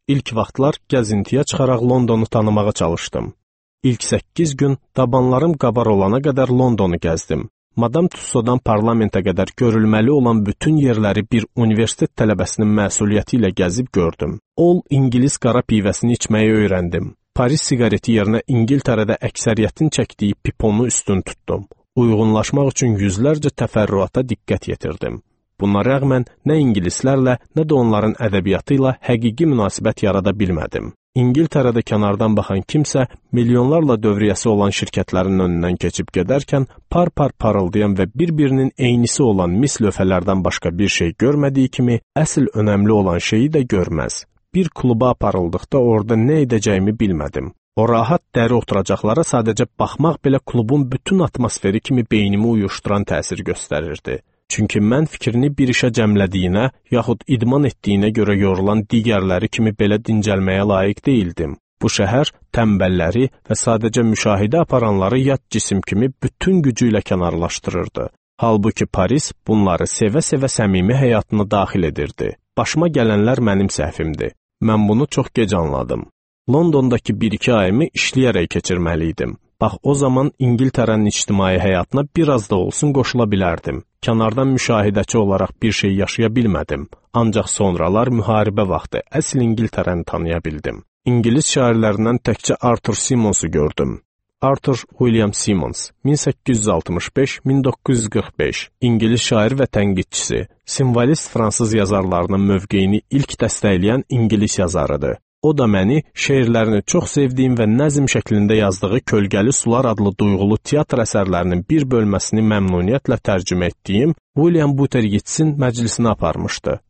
İlk vaxtlar gəzintiyə çıxaraq Londonu tanımağa çalışdım. İlk səkkiz gün dabanlarım qabar olana qədər Londonu gəzdim. Madam Tussauddan parlamentə qədər görülməli olan bütün yerləri bir universitet tələbəsinin məsuliyyəti ilə gəzib gördüm. Ol İngilis qara pivəsini içməyi öyrəndim. Paris siqareti yerinə İngiltərədə əksəriyyətin çəkdiyi piponu üstün tutdum. Uyğunlaşmaq üçün yüzlərcə təfərrüata diqqət yetirdim. Buna rəğmən nə ingilislərlə, nə də onların ədəbiyyatı ilə həqiqi münasibət yarada bilmədim. İngiltərədə kənardan baxan kimsə milyonlarla dövriyyəsi olan şirkətlərin önündən keçib gedərkən par-par parıldayan və bir-birinin eynisi olan mis lövhələrdən başqa bir şey görmədiyi kimi, əsl önəmli olan şeyi də görməz. Bir kluba aparıldıqda orada nə edəcəyimi bilmədim. O rahat dəri oturacaqlara sadəcə baxmaq belə klubun bütün atmosferi kimi beynimi uyuşduran təsir göstərirdi. Çünki mən fikrini bir işə cəmlədiyinə, yaxud idman etdiyinə görə yorulan digərləri kimi belə dincəlməyə layiq deyildim. Bu şəhər tənbəlləri və sadəcə müşahidə aparanları yad cisim kimi bütün gücü ilə kənarlaşdırırdı. Halbuki Paris bunları sevə-sevə səmimi həyatına daxil edirdi. Başıma gələnlər mənim səhvimdir. Mən bunu çox gec anladım. Londondakı bir-iki ayımı işləyərək keçirməli idim. Bax, o zaman İngiltərənin ictimai həyatına biraz da olsun qoşula bilərdim. Kənardan müşahidəçi olaraq bir şey yaşaya bilmədim. Ancaq sonralar müharibə vaxtı əsl İngiltərəni tanıya bildim. İngilis şairlərindən təkcə Arthur Symonsu gördüm. Arthur William Symonds, min səkkiz yüz altmış beş - min doqquz yüz qırx beş, İngilis şair və tənqidçisi, simvolist fransız yazarlarının mövqeyini ilk dəstəkləyən İngilis yazarıdır. O da məni şeirlərini çox sevdiyim və nəzm şəklində yazdığı Kölgəli Sular adlı duyğulu teatr əsərlərinin bir bölməsini məmnuniyyətlə tərcümə etdiyim William Butler Yeatsin məclisinə aparmışdı.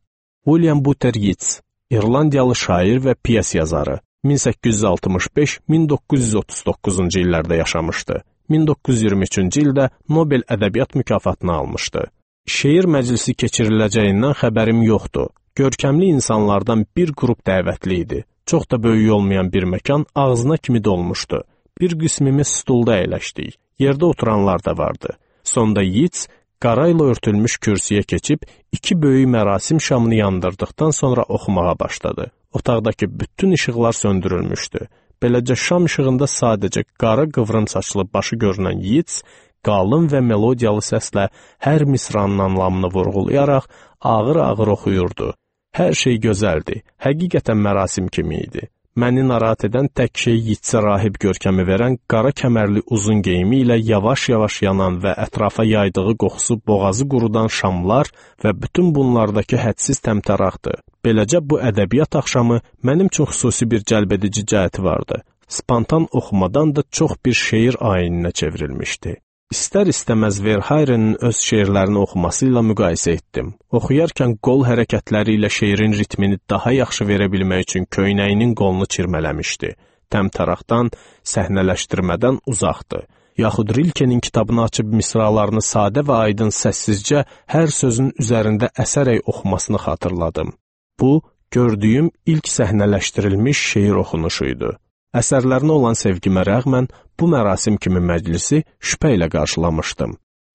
William Butler Yeats, İrlandiyalı şair və piyes yazarı, min səkkiz yüz altmış beş - min doqquz yüz otuz doqquzuncu illərdə yaşamışdı. min doqquz yüz iyirmi üçüncü ildə Nobel ədəbiyyat mükafatını almışdı. Şeir məclisi keçiriləcəyindən xəbərim yoxdur. Görkəmli insanlardan bir qrup dəvətli idi. Çox da böyük olmayan bir məkan ağzına kimi dolmuşdu. Bir qismimiz stulda əyləşdik. Yerdə oturanlar da vardı. Sonda Yeats qara ilə örtülmüş kürsüyə keçib iki böyük mərasim şamını yandırdıqdan sonra oxumağa başladı. Otaqdakı bütün işıqlar söndürülmüşdü. Beləcə şam işığında sadəcə qara qıvrım saçlı başı görünən Yeats qalın və melodiyalı səslə hər misranın anlamını vurğulayaraq ağır-ağır oxuyurdu. Hər şey gözəldi, həqiqətən mərasim kimi idi. Məni narahat edən tək şey Yeatsə rahib görkəmi verən qara kəmərli uzun geyimi ilə yavaş-yavaş yanan və ətrafa yaydığı qoxusu boğazı qurudan şamlar və bütün bunlardakı hədsiz təmtəraqdı. Beləcə bu ədəbiyyat axşamı mənim üçün xüsusi bir cəlbedici cəhəti vardı. Spontan oxumadan da çox bir şeir ayininə çevrilmişdi. İstər-istəməz Verhayrenin öz şeirlərini oxuması ilə müqayisə etdim. Oxuyarkən qol hərəkətləri ilə şeirin ritmini daha yaxşı verə bilmək üçün köynəyinin qolunu çirmələmişdi. Təmtəraqdan, səhnələşdirmədən uzaqdı. Yaxud Rilkenin kitabını açıb misralarını sadə və aydın səssizcə hər sözün üzərində əsərək oxumasını xatırladım. Bu, gördüyüm ilk səhnələşdirilmiş şeir oxunuşuydu. Əsərlərinə olan sevgimə rəğmən bu mərasim kimi məclisi şübhə ilə qarşılamışdım.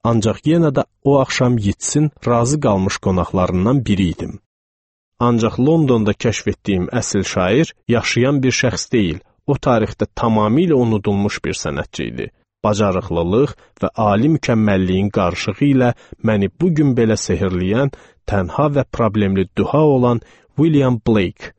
Ancaq yenə də o axşam Yeatsin razı qalmış qonaqlarından biri idim. Ancaq Londonda kəşf etdiyim əsl şair yaşayan bir şəxs deyil, o tarixdə tamamilə unudulmuş bir sənətçi idi. Bacarıqlılıq və ali mükəmməlliyin qarışığı ilə məni bugün belə sehrləyən, tənha və problemli duha olan William Blake.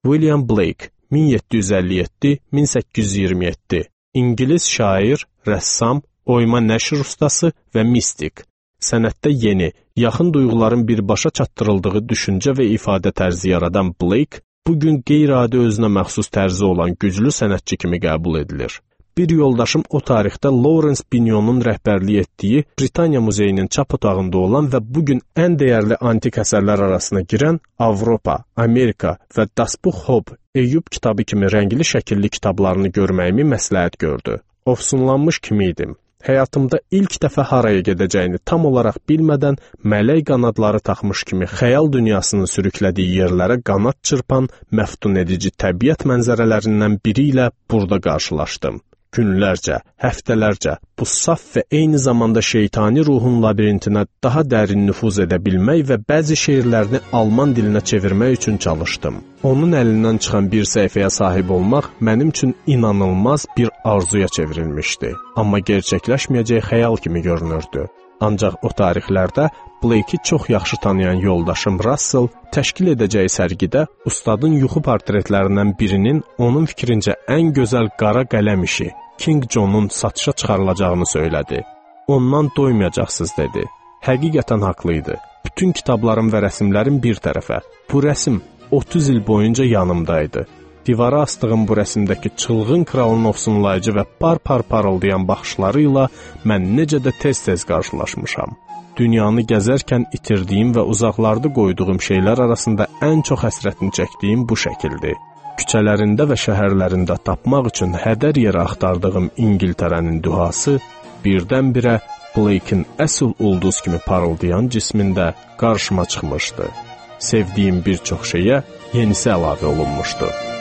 William Blake min yeddi yüz əlli yeddi - min səkkiz yüz iyirmi yeddi, İngilis şair, rəssam, oyma nəşr ustası və mistik. Sənətdə yeni, yaxın duyğuların birbaşa çatdırıldığı düşüncə və ifadə tərzi yaradan Blake, bugün qeyri-adi özünə məxsus tərzi olan güclü sənətçi kimi qəbul edilir. Bir yoldaşım o tarixdə Lawrence Binyonun rəhbərlik etdiyi Britaniya Muzeyinin çap otağında olan və bugün ən dəyərli antik əsərlər arasına girən Avropa, Amerika və Das Buch Hob, Eyüp kitabı kimi rəngli şəkilli kitablarını görməyimi məsləhət gördü. Ofsunlanmış kimi idim. Həyatımda ilk dəfə haraya gedəcəyini tam olaraq bilmədən mələk qanadları taxmış kimi xəyal dünyasını sürüklədiyi yerlərə qanad çırpan məftun edici təbiət mənzərələrindən biri ilə burada qarşılaşdım. Günlərcə, həftələrcə bu saf və eyni zamanda şeytani ruhun labirintinə daha dərin nüfuz edə bilmək və bəzi şeirlərini alman dilinə çevirmək üçün çalışdım. Onun əlindən çıxan bir səhifəyə sahib olmaq mənim üçün inanılmaz bir arzuya çevrilmişdi. Amma gerçəkləşməyəcək xəyal kimi görünürdü. Ancaq o tarixlərdə Blake'i çox yaxşı tanıyan yoldaşım Russell təşkil edəcəyi sərgidə ustadın yuxu portretlərindən birinin onun fikrincə ən gözəl qara qələm işi King John'un satışa çıxarılacağını söylədi. Ondan doymayacaqsınız dedi. Həqiqətən haqlı idi. Bütün kitablarım və rəsmlərim bir tərəfə. Bu rəsm otuz il boyunca yanımdaydı. Divara asdığım bu rəsmdəki çılğın kralın ofsunlayıcı və par-par parıldayan baxışları ilə mən necə də tez-tez qarşılaşmışam. Dünyanı gəzərkən itirdiyim və uzaqlarda qoyduğum şeylər arasında ən çox həsrətini çəkdiyim bu şəkildir. Küçələrində və şəhərlərində tapmaq üçün hədər yerə axtardığım İngiltərənin dühası birdən-birə Blake'in əsl ulduz kimi parıldayan cismində qarşıma çıxmışdı. Sevdiyim bir çox şeyə yenisi əlavə olunmuşdu.